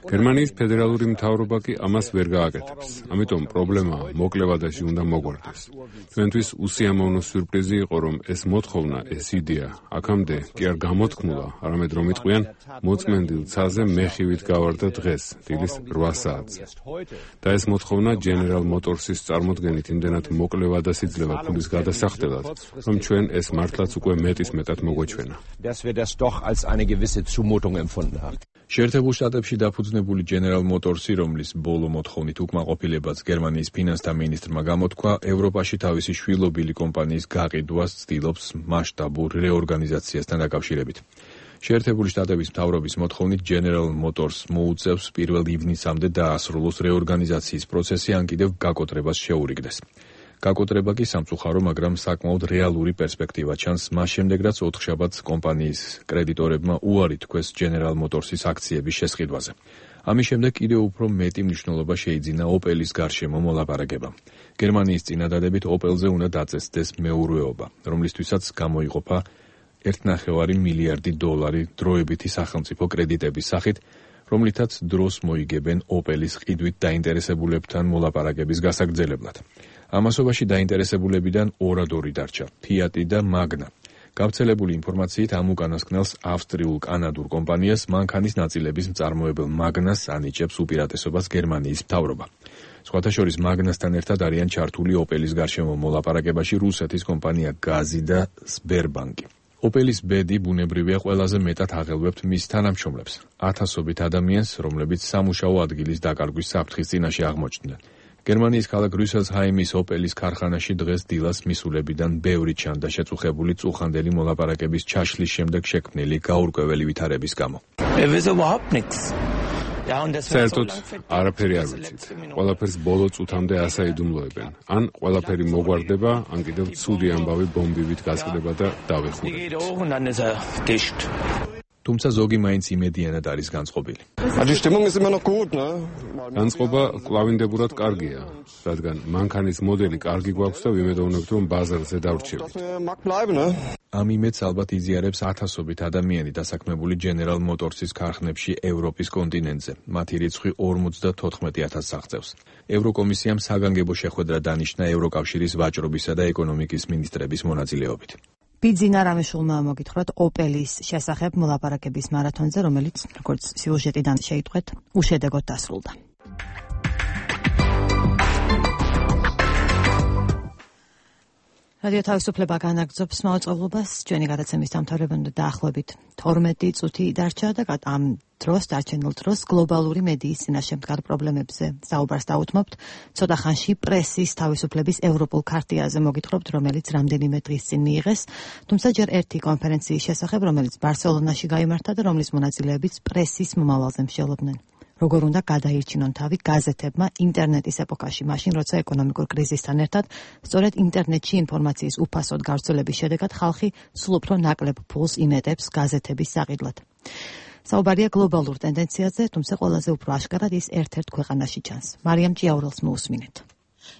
G: გერმანიის ფედერალური მთავრობა კი ამას ვერ გააკეთებს. ამიტომ პრობლემა მოკლევადაში უნდა მოგვარდეს. ჩვენთვის უსიამოვნო სიურპრიზი იყო, რომ ეს მოთხოვნა, ეს იდეა, აქამდე კი არ გამოთქმულა, არამედ რომ იტყვიან, მოწმენდილ ცაზე მეხივით გავარდა დღეს, დილის 8 საათზე. და ეს მოთხოვნა General Motors-ის წარმოდგენით იმდენად მოკლე ვადასიძლება ფულის გადასახდელად, რომ ჩვენ ეს მართლაც უკვე მეტისმეტად მოგვეჩვენა.
Q: შეერთებულ შტატებში დაფუძნებული General Motors-ი, რომლის ბოლო მოთხოვნით უკმაყოფილებაც გერმანიის ფინანსთა მინისტრმა გამოთქვა, ევროპაში თავისი შვილობილი კომპანიის გაყიდვას ცდილობს მასშტაბურ რეორგანიზაციასთან დაკავშირებით. შეერთებული შტატების მთავრობის მოთხოვნით General Motors მოუწევს 1 ივნისამდე დაასრულოს რეორგანიზაციის პროცესი, ან კიდევ გაკოტრებას შეურიგდეს. გაკოტრება კი სამწუხარო, მაგრამ საკმაოდ რეალური პერსპექტივა ჩანს მას შემდეგ, რაც ოთხშაბათს კომპანიის კრედიტორებმა უარი თქვეს General Motors-ის აქციების შესყიდვაზე. ამის შემდეგ კიდევ უფრო მეტი მნიშვნელობა შეიძინა Opel-ის გარშემო მოლაპარაკებამ. გერმანიის წინადადებით Opel-ზე უნდა დაწესდეს მეურვეობა, რომლისთვისაც გამოიყოფა 1,5 მილიარდი დოლარი დროებითი სახელმწიფო კრედიტების სახით, რომლითაც დროს მოიგებენ Opel-ის ყიდვით დაინტერესებულებთან მოლაპარაკების გასაგრძელებლად. ამასობაში დაინტერესებულებიდან ორად-ორი დარჩა, Fiat-ი და Magna. გავრცელებული ინფორმაციით ამ უკანასკნელს ავსტრიულ-კანადურ კომპანიას მანქანის ნაწილების მწარმოებელ Magna-ს ანიჭებს უპირატესობას გერმანიის მთავრობა. სხვათა შორის Magna-სთან ერთად არიან ჩართული Opel-ის გარშემო მოლაპარაკებაში რუსეთის კომპანია Gazzi და Sberbank-ი. Opel-ის ბედი ბუნებრივია ყველაზე მეტად აღელვებთ მის თანამშრომლებს, ათასობით ადამიანს, რომლებიც სამუშაო ადგილის დაკარგვის საფრთხის წინაშე აღმოჩნდნენ. გერმანიის ქალაქ რუსელსჰაიმის Opel-ის ქარხანაში დღეს დილას მისულებიდან ბევრი ჩანდა შეწუხებული წუხანდელი მოლაპარაკების ჩაშლის შემდეგ შექმნილი გაურკვეველი ვითარების გამო.
G: საერთოდ არაფერი არ ვიცით. ყველაფერს ბოლო წუთამდე ასაიდუმლოებენ. ან ყველაფერი მოგვარდება, ან კიდევ ცუდი ამბავი ბომბივით გასკდება და დავეხურებით.
Q: თუმცა ზოგი მაინც იმედიანად არის განწყობილი.
G: განწყობა კვლავინდებურად კარგია, რადგან მანქანის მოდელი კარგი გვაქვს და ვიმედოვნებთ, რომ ბაზარზე დავრჩებით.
Q: ამ იმედს ალბათ იზიარებს ათასობით ადამიანი დასაქმებული General Motors-ის ქარხნებში ევროპის კონტინენტზე. მათი რიცხვი 54,000-ს აღწევს. ევროკომისიამ საგანგებო შეხვედრა დანიშნა ევროკავშირის ვაჭრობისა და ეკონომიკის მინისტრების მონაწილეობით.
B: ბიძინა რამიშვილმა მოგითხრათ Opel-ის შესახებ მოლაპარაკების მარათონზე, რომელიც, როგორც სიუჟეტიდან შეიტყვეთ, უშედეგოდ დასრულდა. რადიო თავისუფლება განაგრძობს მაუწყებლობას, ჩვენი გადაცემის დამთავრებამდე დაახლოებით 12 წუთი დარჩა და ამ დროს დარჩენილ დროს გლობალური მედიის წინაშე მდგარ პრობლემებზე საუბარს დაუთმობთ. ცოტა ხანში პრესის თავისუფლების ევროპულ ქარტიაზე მოგითხრობთ, რომელიც რამდენიმე დღის წინ მიიღეს, თუმცა ჯერ ერთი კონფერენციის შესახებ, რომელიც ბარსელონაში გაიმართა და რომლის მონაწილეებიც პრესის მომავალზე მსჯელობდნენ. როგორ უნდა გადაირჩინონ თავი გაზეთებმა ინტერნეტის ეპოქაში, მაშინ როცა ეკონომიკურ კრიზისთან ერთად სწორედ ინტერნეტში ინფორმაციის უფასოდ გავრცელების შედეგად ხალხი სულ უფრო ნაკლებ ფულს იმეტებს გაზეთების საყიდლად. საუბარია გლობალურ ტენდენციაზე, თუმცა ყველაზე უფრო აშკარად ის ერთ-ერთ ქვეყანაში ჩანს. მარიამ ჭიაურელს მოусმინეთ.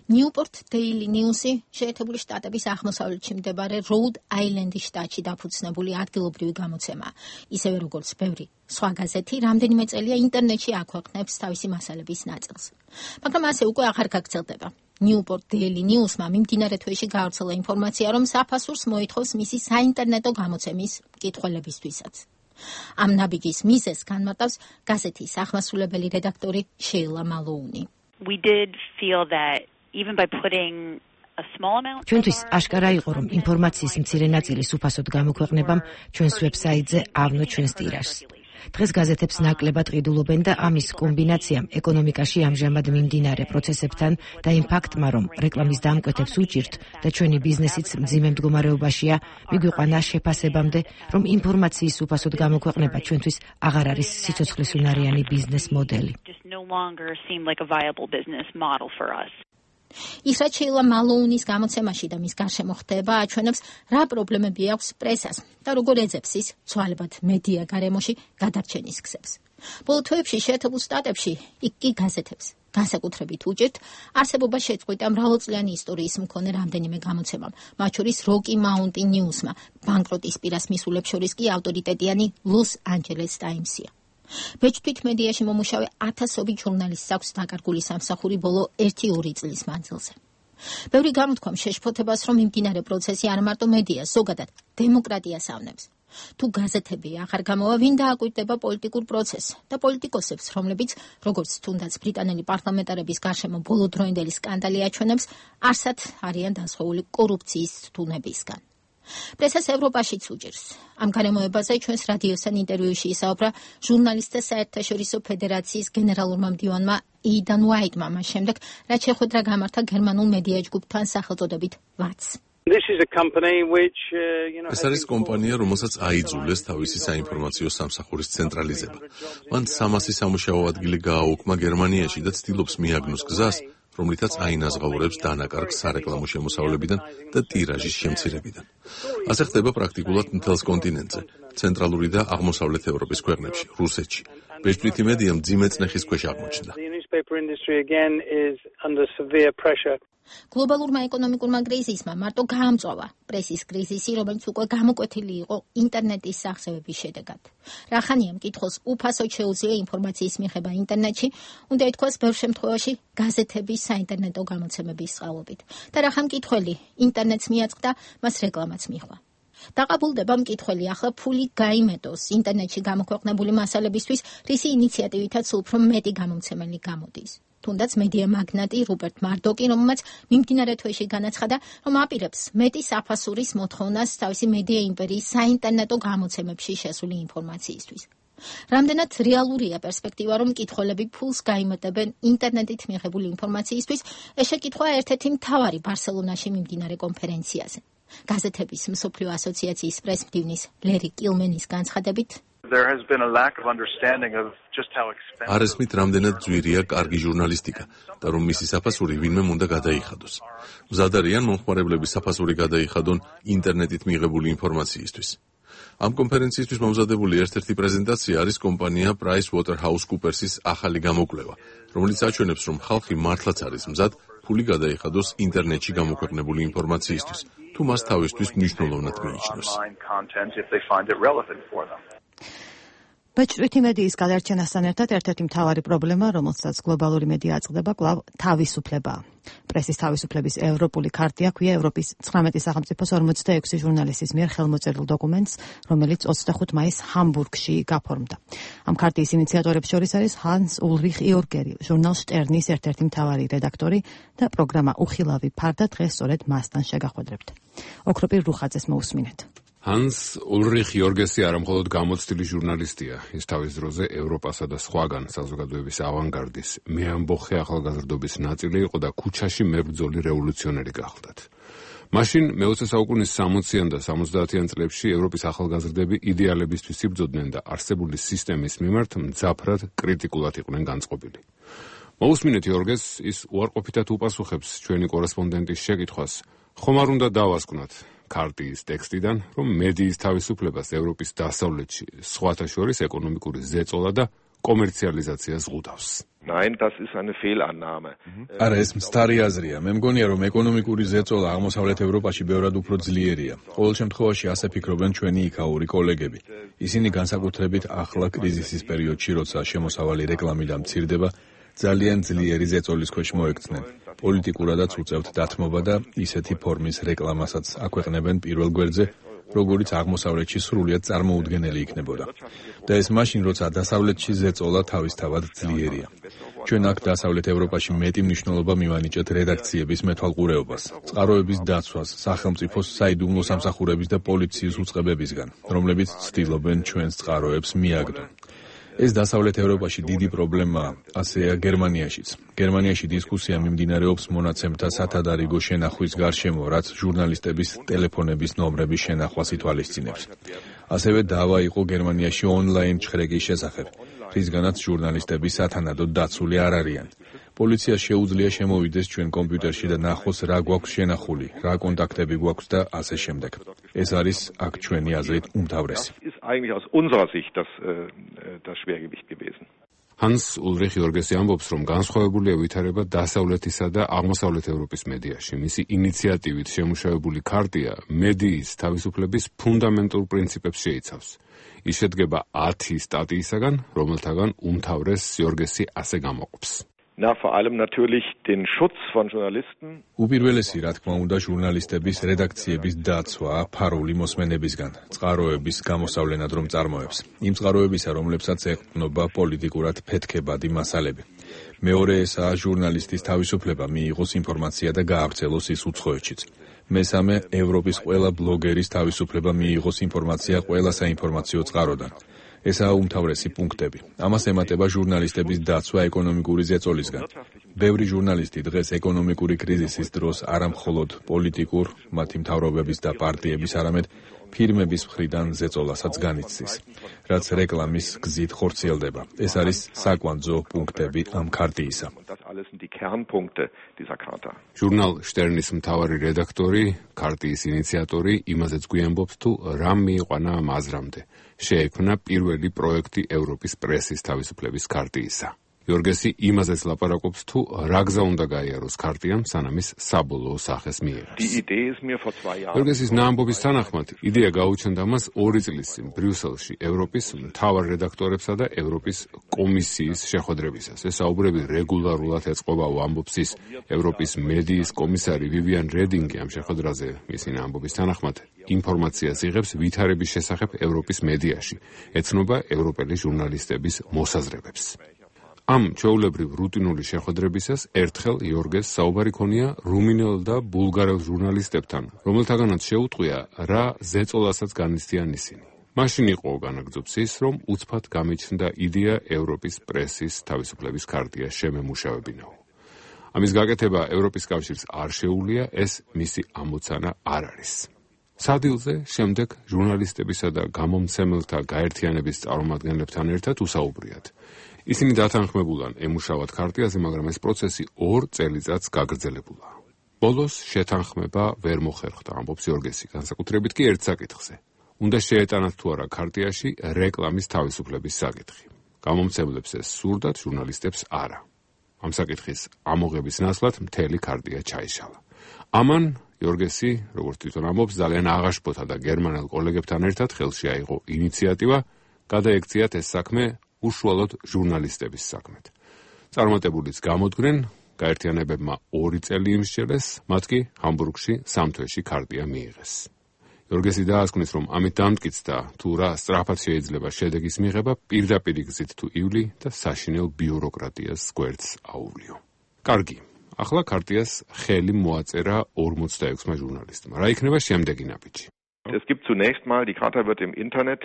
R: Newport Daily News-ი შეერთებული შტატების აღმოსავლეთში მდებარე Rhode Island-ის შტატში დაფუძნებული ადგილობრივი გამოცემაა. ისევე როგორც ბევრი სხვა გაზეთი, რამდენიმე წელია ინტერნეტში აქვეყნებს თავისი მასალების ნაწილს. მაგრამ ასე უკვე აღარ გაგრძელდება. Newport Daily News-მა მიმდინარე თვეში გაავრცელა ინფორმაცია, რომ საფასურს მოითხოვს მისი საინტერნეტო გამოცემის მკითხველებისთვისაც. ამ ნაბიჯის მიზეზს განმარტავს გაზეთის აღმასრულებელი რედაქტორი შეილა მალოუნი.
S: We did feel that even by putting a small amount
B: ჩვენთვის აშკარა იყო, რომ ინფორმაციის მცირე ნაწილის უფასოდ გამოქვეყნებამ ჩვენს ვებსაიტზე ავნო ჩვენს ტირაჟს. დღეს გაზეთებს ნაკლებად ყიდულობენ და ამის კომბინაციამ ეკონომიკაში ამჟამად მიმდინარე პროცესებთან და იმ ფაქტმა, რომ რეკლამის დამკვეთებს უჭირთ და ჩვენი ბიზნესიც მძიმე მდგომარეობაშია, მიგვიყვანა შეფასებამდე, რომ ინფორმაციის უფასოდ გამოქვეყნება ჩვენთვის აღარ არის სიცოცხლისუნარიანი ბიზნეს მოდელი.
R: ის რაც შეილა მალოუნის გამოცემაში და მის გარშემო ხდება, აჩვენებს, რა პრობლემები აქვს პრესას და როგორ ეძებს ის ცვალებად მედია გარემოში გადარჩენის გზებს. ბოლო თვეებში შეერთებულ შტატებში იქ კი გაზეთებს განსაკუთრებით უჭირთ არსებობა შეწყვიტა მრავალწლიანი ისტორიის მქონე რამდენიმე გამოცემამ, მათ შორის Rocky Mountain News-მა, ბანკროტის პირას მისულებს შორის კი ავტორიტეტიანი Los Angeles Times-ია. ბეჭდვით მედიაში მომუშავე ათასობით ჟურნალისტს აქვს დაკარგული სამსახური ბოლო 1-2 წლის მანძილზე. ბევრი გამოთქვამ შეშფოთებას, რომ მიმდინარე პროცესი არ მარტო მედიას, ზოგადად დემოკრატიას ავნებს. თუ გაზეთები აღარ გამოვა, ვინ დააკვირდება პოლიტიკურ პროცესს და პოლიტიკოსებს, რომლებიც, როგორც თუნდაც ბრიტანელი პარლამენტარების გარშემო ბოლოდროინდელი სკანდალი აჩვენებს, არსად არიან დასხეული კორუფციის თუნებისგან. პრესას ევროპაშიც უჭირს. ამ გარემოებაზე ჩვენს რადიოსთან ინტერვიუში ისაუბრა ჟურნალისტთა საერთაშორისო ფედერაციის გენერალურმა მდივანმა Aidan White-მა, მას შემდეგ, რაც შეხვედრა გამართა გერმანულ მედია ჯგუფთან სახელწოდებით VATS.
I: ეს არის კომპანია, რომელსაც აიძულეს თავისი საინფორმაციო სამსახურის ცენტრალიზება. მან 300 სამუშაო ადგილი გააუქმა გერმანიაში და ცდილობს მიაგნოს გზას, რომლითაც აინაზღაურებს დანაკარგს სარეკლამო შემოსავლებიდან და ტირაჟის შემცირებიდან. ასე ხდება პრაქტიკულად მთელს კონტინენტზე, ცენტრალური და აღმოსავლეთ ევროპის ქვეყნებში, რუსეთში. ბეჭდვითი მედია მძიმე წნეხის ქვეშ აღმოჩნდა.
R: გლობალურმა ეკონომიკურმა კრიზისმა მარტო გაამწვავა პრესის კრიზისი, რომელიც უკვე გამოკვეთილი იყო ინტერნეტის სახსევების შედეგად. რახანია მკითხველს უფასოდ შეუძლია ინფორმაციის მიღება ინტერნეტში, უნდა ითქვას ბევრ შემთხვევაში გაზეთების საინტერნეტო გამოცემების წყალობით. და რახან მკითხველი ინტერნეტს მიაწყდა, მას რეკლამაც მიჰყვა. დაყაბულდება მკითხველი ახლა ფული გაიმეტოს ინტერნეტში გამოქვეყნებული მასალებისთვის, რისი ინიციატივითაც უფრო მეტი გამომცემელი გამოდის. თუნდაც მედია მაგნატი რუპერტ მარდოკი, რომელმაც მიმდინარე თვეში განაცხადა, რომ აპირებს მეტი საფასურის მოთხოვნას თავისი მედია იმპერიის საინტერნეტო გამოცემებში შესული ინფორმაციისთვის. რამდენად რეალურია პერსპექტივა, რომ მკითხველები ფულს გაიმეტებენ ინტერნეტით მიღებული ინფორმაციისთვის, ეს შეკითხვა ერთ-ერთი მთავარი ბარსელონაში მიმდინარე კონფერენციაზე. გაზეთების მსოფლიო ასოციაციის პრესმდივნის ლერი კილმენის განცხადებით,
I: არ ესმით, რამდენად ძვირია კარგი ჟურნალისტიკა და რომ მისი საფასური ვინმე უნდა გადაიხადოს. მზად არიან მომხმარებლების საფასური გადაიხადონ ინტერნეტით მიღებული ინფორმაციისთვის. ამ კონფერენციისთვის მომზადებული ერთ-ერთი პრეზენტაცია არის კომპანია PricewaterhouseCoopers's ახალი გამოკვლევა, რომელიც აჩვენებს, რომ ხალხი მართლაც არის მზად ფული გადაიხადოს ინტერნეტში გამოქვეყნებული ინფორმაციისთვის, თუ მას თავისთვის მნიშვნელოვნად მიიჩნევს.
B: ბეჭდვითი მედიის გადარჩენასთან ერთად ერთ-ერთი მთავარი პრობლემა, რომელსაც გლობალური მედია აწყდება, კვლავ თავისუფლებაა. პრესის თავისუფლების ევროპული ქარტია ქვია ევროპის 19 სახელმწიფოს 46 ჟურნალისტის მიერ ხელმოწერილ დოკუმენტს, რომელიც 25 მაისს ჰამბურგში გაფორმდა. ამ ქარტიის ინიციატორებს შორის არის ჰანს ულრიხ იორგერი, ჟურნალ შტერნის ერთ-ერთი მთავარი რედაქტორი და პროგრამა უხილავი ფარდა დღეს სწორედ მასთან შეგახვედრებთ. ოქროპირ რუხაძეს მოусმინეთ.
T: ჰანს ულრიხ იორგესი არამხოლოდ გამოცდილი ჟურნალისტია, ის თავის დროზე ევროპასა და სხვაგან საზოგადოების ავანგარდის მეამბოხე ახალგაზრდობის ნაწილი იყო და ქუჩაში მებრძოლი რევოლუციონერი გახლდათ. მაშინ მე-20 საუკუნის 60-იან და 70-იან წლებში ევროპის ახალგაზრდები იდეალებისთვის იბრძოდნენ და არსებული სისტემის მიმართ მძაფრად კრიტიკულად იყვნენ განწყობილი. მოусმინეთ იორგეს, ის უარყოფითად უპასუხებს ჩვენი კორესპონდენტის შეკითხვას, ხომ არ უნდა დავასკვნათ ქარტიის ტექსტიდან, რომ მედიის თავისუფლებას ევროპის დასავლეთში სხვათა შორის ეკონომიკური ზეწოლა და კომერციალიზაციას ზღუდავს.
U: Nein, das ist eine Fehlannahme.
Q: არა, ეს მცდარი აზრია. მე მგონია, რომ ეკონომიკური ზეწოლა აღმოსავლეთ ევროპაში ბევრად უფრო ძლიერია. ყოველ შემთხვევაში ასე ფიქრობენ ჩვენი იქაური კოლეგები. ისინი განსაკუთრებით ახლა კრიზისის პერიოდში, როცა შემოსავალი რეკლამიდან მცირდება, ძალიან ძლიერი ზეწოლის ქვეშ მოექცნენ. პოლიტიკურადაც უწევთ დათმობა და ისეთი ფორმის რეკლამასაც აქვეყნებენ პირველ გვერდზე, როგორც აღმოსავლეთში სრულიად წარმოუდგენელი იქნებოდა. და ეს მაშინ, როცა დასავლეთში ზეწოლა თავისთავად ძლიერია. ჩვენ აქ დასავლეთ ევროპაში მეტი მნიშვნელობა მივანიჭეთ რედაქციების მეთვალყურეობას, წყაროების დაცვას, სახელმწიფოს საიდუმლო სამსახურების და პოლიციის უწყებებისგან, რომლებიც ცდილობენ ჩვენს წყაროებს მიაგდონ. ეს დასავლეთ ევროპაში დიდი პრობლემაა, ასეა გერმანიაშიც. გერმანიაში დისკუსია მიმდინარეობს მონაცემთა სათადარიგო შენახვის გარშემო, რაც ჟურნალისტების ტელეფონების ნომრების შენახვას ითვალისწინებს. ასევე დავა იყო გერმანიაში ონლაინ ჩხრეკის შესახებ, რისგანაც ჟურნალისტები სათანადოდ დაცული არ არიან. პოლიციას შეუძლია შემოვიდეს ჩვენ კომპიუტერში და ნახოს რა გვაქვს შენახული, რა კონტაქტები გვაქვს და ასე შემდეგ. ეს არის აქ ჩვენი აზრით უმთავრესი.
U: Eigentlich aus unserer Sicht das Schwergewicht gewesen.
T: Hans Ulrich Jorgesi ამბობს, რომ განსხვავებულია ვითარება დასავლეთისა და აღმოსავლეთ ევროპის მედიაში. მისი ინიციატივით შემუშავებული ქარტია მედიის თავისუფლების ფუნდამენტურ პრინციპებს შეიცავს. ის შედგება 10 სტატიისაგან, რომელთაგან უმთავრეს Jorgesi ასე გამოყოფს.
U: Na, vor allem natürlich den Schutz von Journalisten.
Q: უპირველესი, რა თქმა უნდა, ჟურნალისტების რედაქციების დაცვა ფარული მოსმენებისგან, წყაროების გამოსავლენად რომ წარმოებს. იმ წყაროებისა, რომლებსაც ეყრდნობა პოლიტიკურად ფეთქებადი მასალები. მეორე ესაა ჟურნალისტის თავისუფლება მიიღოს ინფორმაცია და გაავრცელოს ის უცხოეთშიც. მესამე, ევროპის ყველა ბლოგერის თავისუფლება მიიღოს ინფორმაცია ყველა საინფორმაციო წყაროდან. ესაა უმთავრესი პუნქტები. ამას ემატება ჟურნალისტების დაცვა ეკონომიკური ზეწოლისგან. ბევრი ჟურნალისტი დღეს ეკონომიკური კრიზისის დროს არა მხოლოდ პოლიტიკურ, მათი მთავრობების და პარტიების, არამედ ფირმების მხრიდან ზეწოლასაც განიცდის, რაც რეკლამის გზით ხორციელდება. ეს არის საკვანძო პუნქტები ამ ქარტიისა.
T: ჟურნალ შტერნის მთავარი რედაქტორი, ქარტიის ინიციატორი იმაზეც გვიამბობს, თუ რა მიიყვანა ამ აზრამდე. შეექმნა პირველი პროექტი ევროპის პრესის თავისუფლების ქარტიისა. Jorgesi იმაზეც ლაპარაკობს, თუ რა გზა უნდა გაიაროს ქარტიამ, სანამ ის საბოლოო სახეს მიიღებს. Jorgesis ნაამბობის თანახმად, იდეა გაუჩნდა მას 2 წლის წინ ბრიუსელში ევროპის მთავარ რედაქტორებსა და ევროპის კომისიის შეხვედრებისას. ეს საუბრები რეგულარულად ეწყობა, ამბობს ის ევროპის მედიის კომისარი ვივიან რედინგი ამ შეხვედრაზე მისი ნაამბობის თანახმად. ინფორმაციას იღებს ვითარების შესახებ ევროპის მედიაში, ეცნობა ევროპელი ჟურნალისტების მოსაზრებებს. ამ ჩვეულებრივ რუტინული შეხვედრებისას ერთხელ იორგეს საუბარი ქონია რუმინელ და ბულგარელ ჟურნალისტებთან, რომელთაგანაც შეუტყვია რა ზეწოლასაც განიცდიან ისინი. მაშინ იყო განაგრძობს ის, რომ უცბად გამიჩნდა იდეა ევროპის პრესის თავისუფლების ქარტიას შემემუშავებინაო. ამის გაკეთება ევროპის კავშირს არ შეუძლია, ეს მისი ამოცანა არ არის. სადილზე შემდეგ ჟურნალისტებისა და გამომცემელთა გაერთიანების წარმომადგენლებთან ერთად უსაუბრიათ. ისინი დათანხმებულან ემუშავათ ქარტიაზე, მაგრამ ეს პროცესი 2 წელიწადს გაგრძელებულა. ბოლოს შეთანხმება ვერ მოხერხდა, ამბობს Jorgesi, განსაკუთრებით კი ერთ საკითხზე. უნდა შეეტანათ თუ არა ქარტიაში რეკლამის თავისუფლების საკითხი. გამომცემლებს ეს სურდათ, ჟურნალისტებს არა. ამ საკითხის ამოღების ნაცვლად მთელი ქარტია ჩაიშალა. ამან Jorgesi, როგორც თვითონ ამბობს, ძალიან აღაშფოთა და გერმანელ კოლეგებთან ერთად ხელში აიღო ინიციატივა, გადაექციათ ეს საქმე უშუალოდ ჟურნალისტების საქმეთ. წარმატებულიც გამოდგნენ, გაერთიანებებმა 2 წელი იმსჯელეს, მათ კი ჰამბურგში 3 თვეში ქარტია მიიღეს. Jorgesi დაასკვნის, რომ ამით დამტკიცდა, თუ რა სწრაფად შეიძლება შედეგის მიღება პირდაპირ გზით თუ ივლი და საშინელ ბიუროკრატიას გვერდს აუვლიო. კარგი, ახლა ქარტიას ხელი მოაწერა 46-მა ჟურნალისტმა. რა იქნება შემდეგი ნაბიჯი?
U: Es gibt zunächst mal, die Charta wird im Internet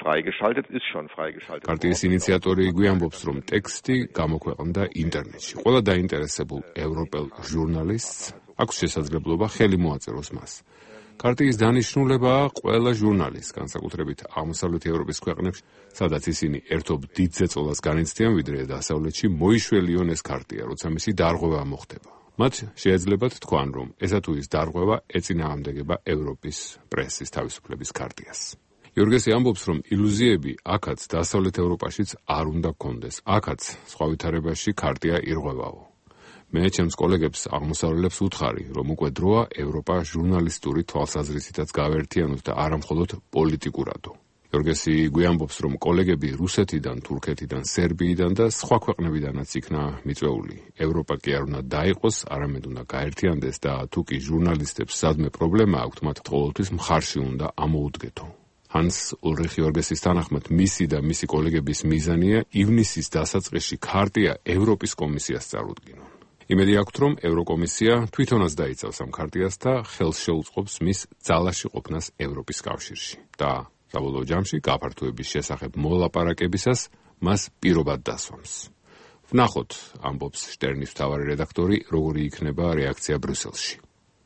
U: freigeschaltet, ist schon freigeschaltet.
T: ქარტიის ინიციატორი გვიამბობს, რომ ტექსტი გამოქვეყნდა ინტერნეტში. ყველა დაინტერესებულ ევროპელ ჟურნალისტს აქვს შესაძლებლობა ხელი მოაწეროს მას. ქარტიის დანიშნულებაა ყველა ჟურნალისტს, განსაკუთრებით აღმოსავლეთ ევროპის ქვეყნებში, სადაც ისინი ერთობ დიდ ზეწოლას განიცდიან, ვიდრე დასავლეთში მოიშველიონ ეს ქარტია, როცა მისი დარღვევა მოხდება. მათ შეეძლებათ თქვან, რომ ესა თუ ის დარღვევა ეწინააღმდეგება ევროპის პრესის თავისუფლების ქარტიას. იორგესი ამბობს, რომ ილუზიები აქაც დასავლეთ ევროპაშიც არ უნდა გქონდეს. აქაც სხვა ვითარებაში ქარტია ირღვევაო. მე ჩემს კოლეგებს აღმოსავლელებს ვუთხარი, რომ უკვე დროა ევროპა ჟურნალისტური თვალსაზრისითაც გავერთიანოთ და არა მხოლოდ პოლიტიკურადო. იორგესი გვიამბობს, რომ კოლეგები რუსეთიდან, თურქეთიდან, სერბიიდან და სხვა ქვეყნებიდანაც იქნა მიწვეული. ევროპა კი არ უნდა დაიყოს, არამედ უნდა გაერთიანდეს და თუ კი ჟურნალისტებს სადმე პრობლემა აქვთ, მათ ყოველთვის მხარში უნდა ამოუდგეთო. ჰანს ულრიხ იორგესის თანახმად, მისი და მისი კოლეგების მიზანია ივნისის დასაწყისში ქარტია ევროპის კომისიას წარუდგინონ. იმედი აქვთ, რომ ევროკომისია თვითონაც დაიცავს ამ ქარტიას და ხელს შეუწყობს მის ძალაში ყოფნას ევროპის კავშირში. და საბოლოო ჯამში გაფართოების შესახებ მოლაპარაკებისას მას პირობად დასვამს. ვნახოთ, ამბობს შტერნის მთავარი რედაქტორი, როგორი იქნება რეაქცია ბრიუსელში.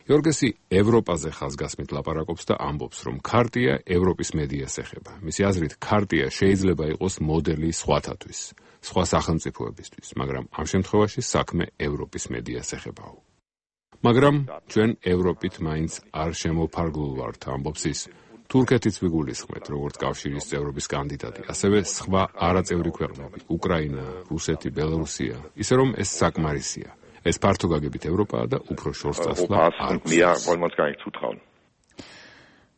T: იორგესი ევროპაზე ხაზგასმით ლაპარაკობს და ამბობს, რომ ქარტია ევროპის მედიას ეხება. მისი აზრით, ქარტია შეიძლება იყოს მოდელი სხვათათვის, სხვა სახელმწიფოებისთვის, მაგრამ ამ შემთხვევაში საქმე ევროპის მედიას ეხებაო. მაგრამ ჩვენ ევროპით მაინც არ შემოფარგლულ ვართ, ამბობს ის. თურქეთიც ვიგულისხმეთ, როგორც კავშირის წევრობის კანდიდატი, ასევე სხვა არაწევრი ქვეყნები, უკრაინა, რუსეთი, ბელარუსია, ისე რომ ეს საკმარისია. ეს ფართო გაგებით ევროპაა და უფრო შორს წასვლა არ გვსწავლს.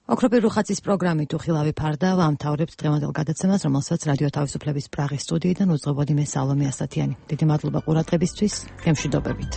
B: ოქროპირ რუხაცის პროგრამით უხილავი ფარდა ვამთავრებთ დღევანდელ გადაცემას, რომელსაც რადიო თავისუფლების პრაღის სტუდიიდან უძღვებოდი მე სალომე ასათიანი. დიდი მადლობა ყურადღებისთვის, გემშვიდობებით.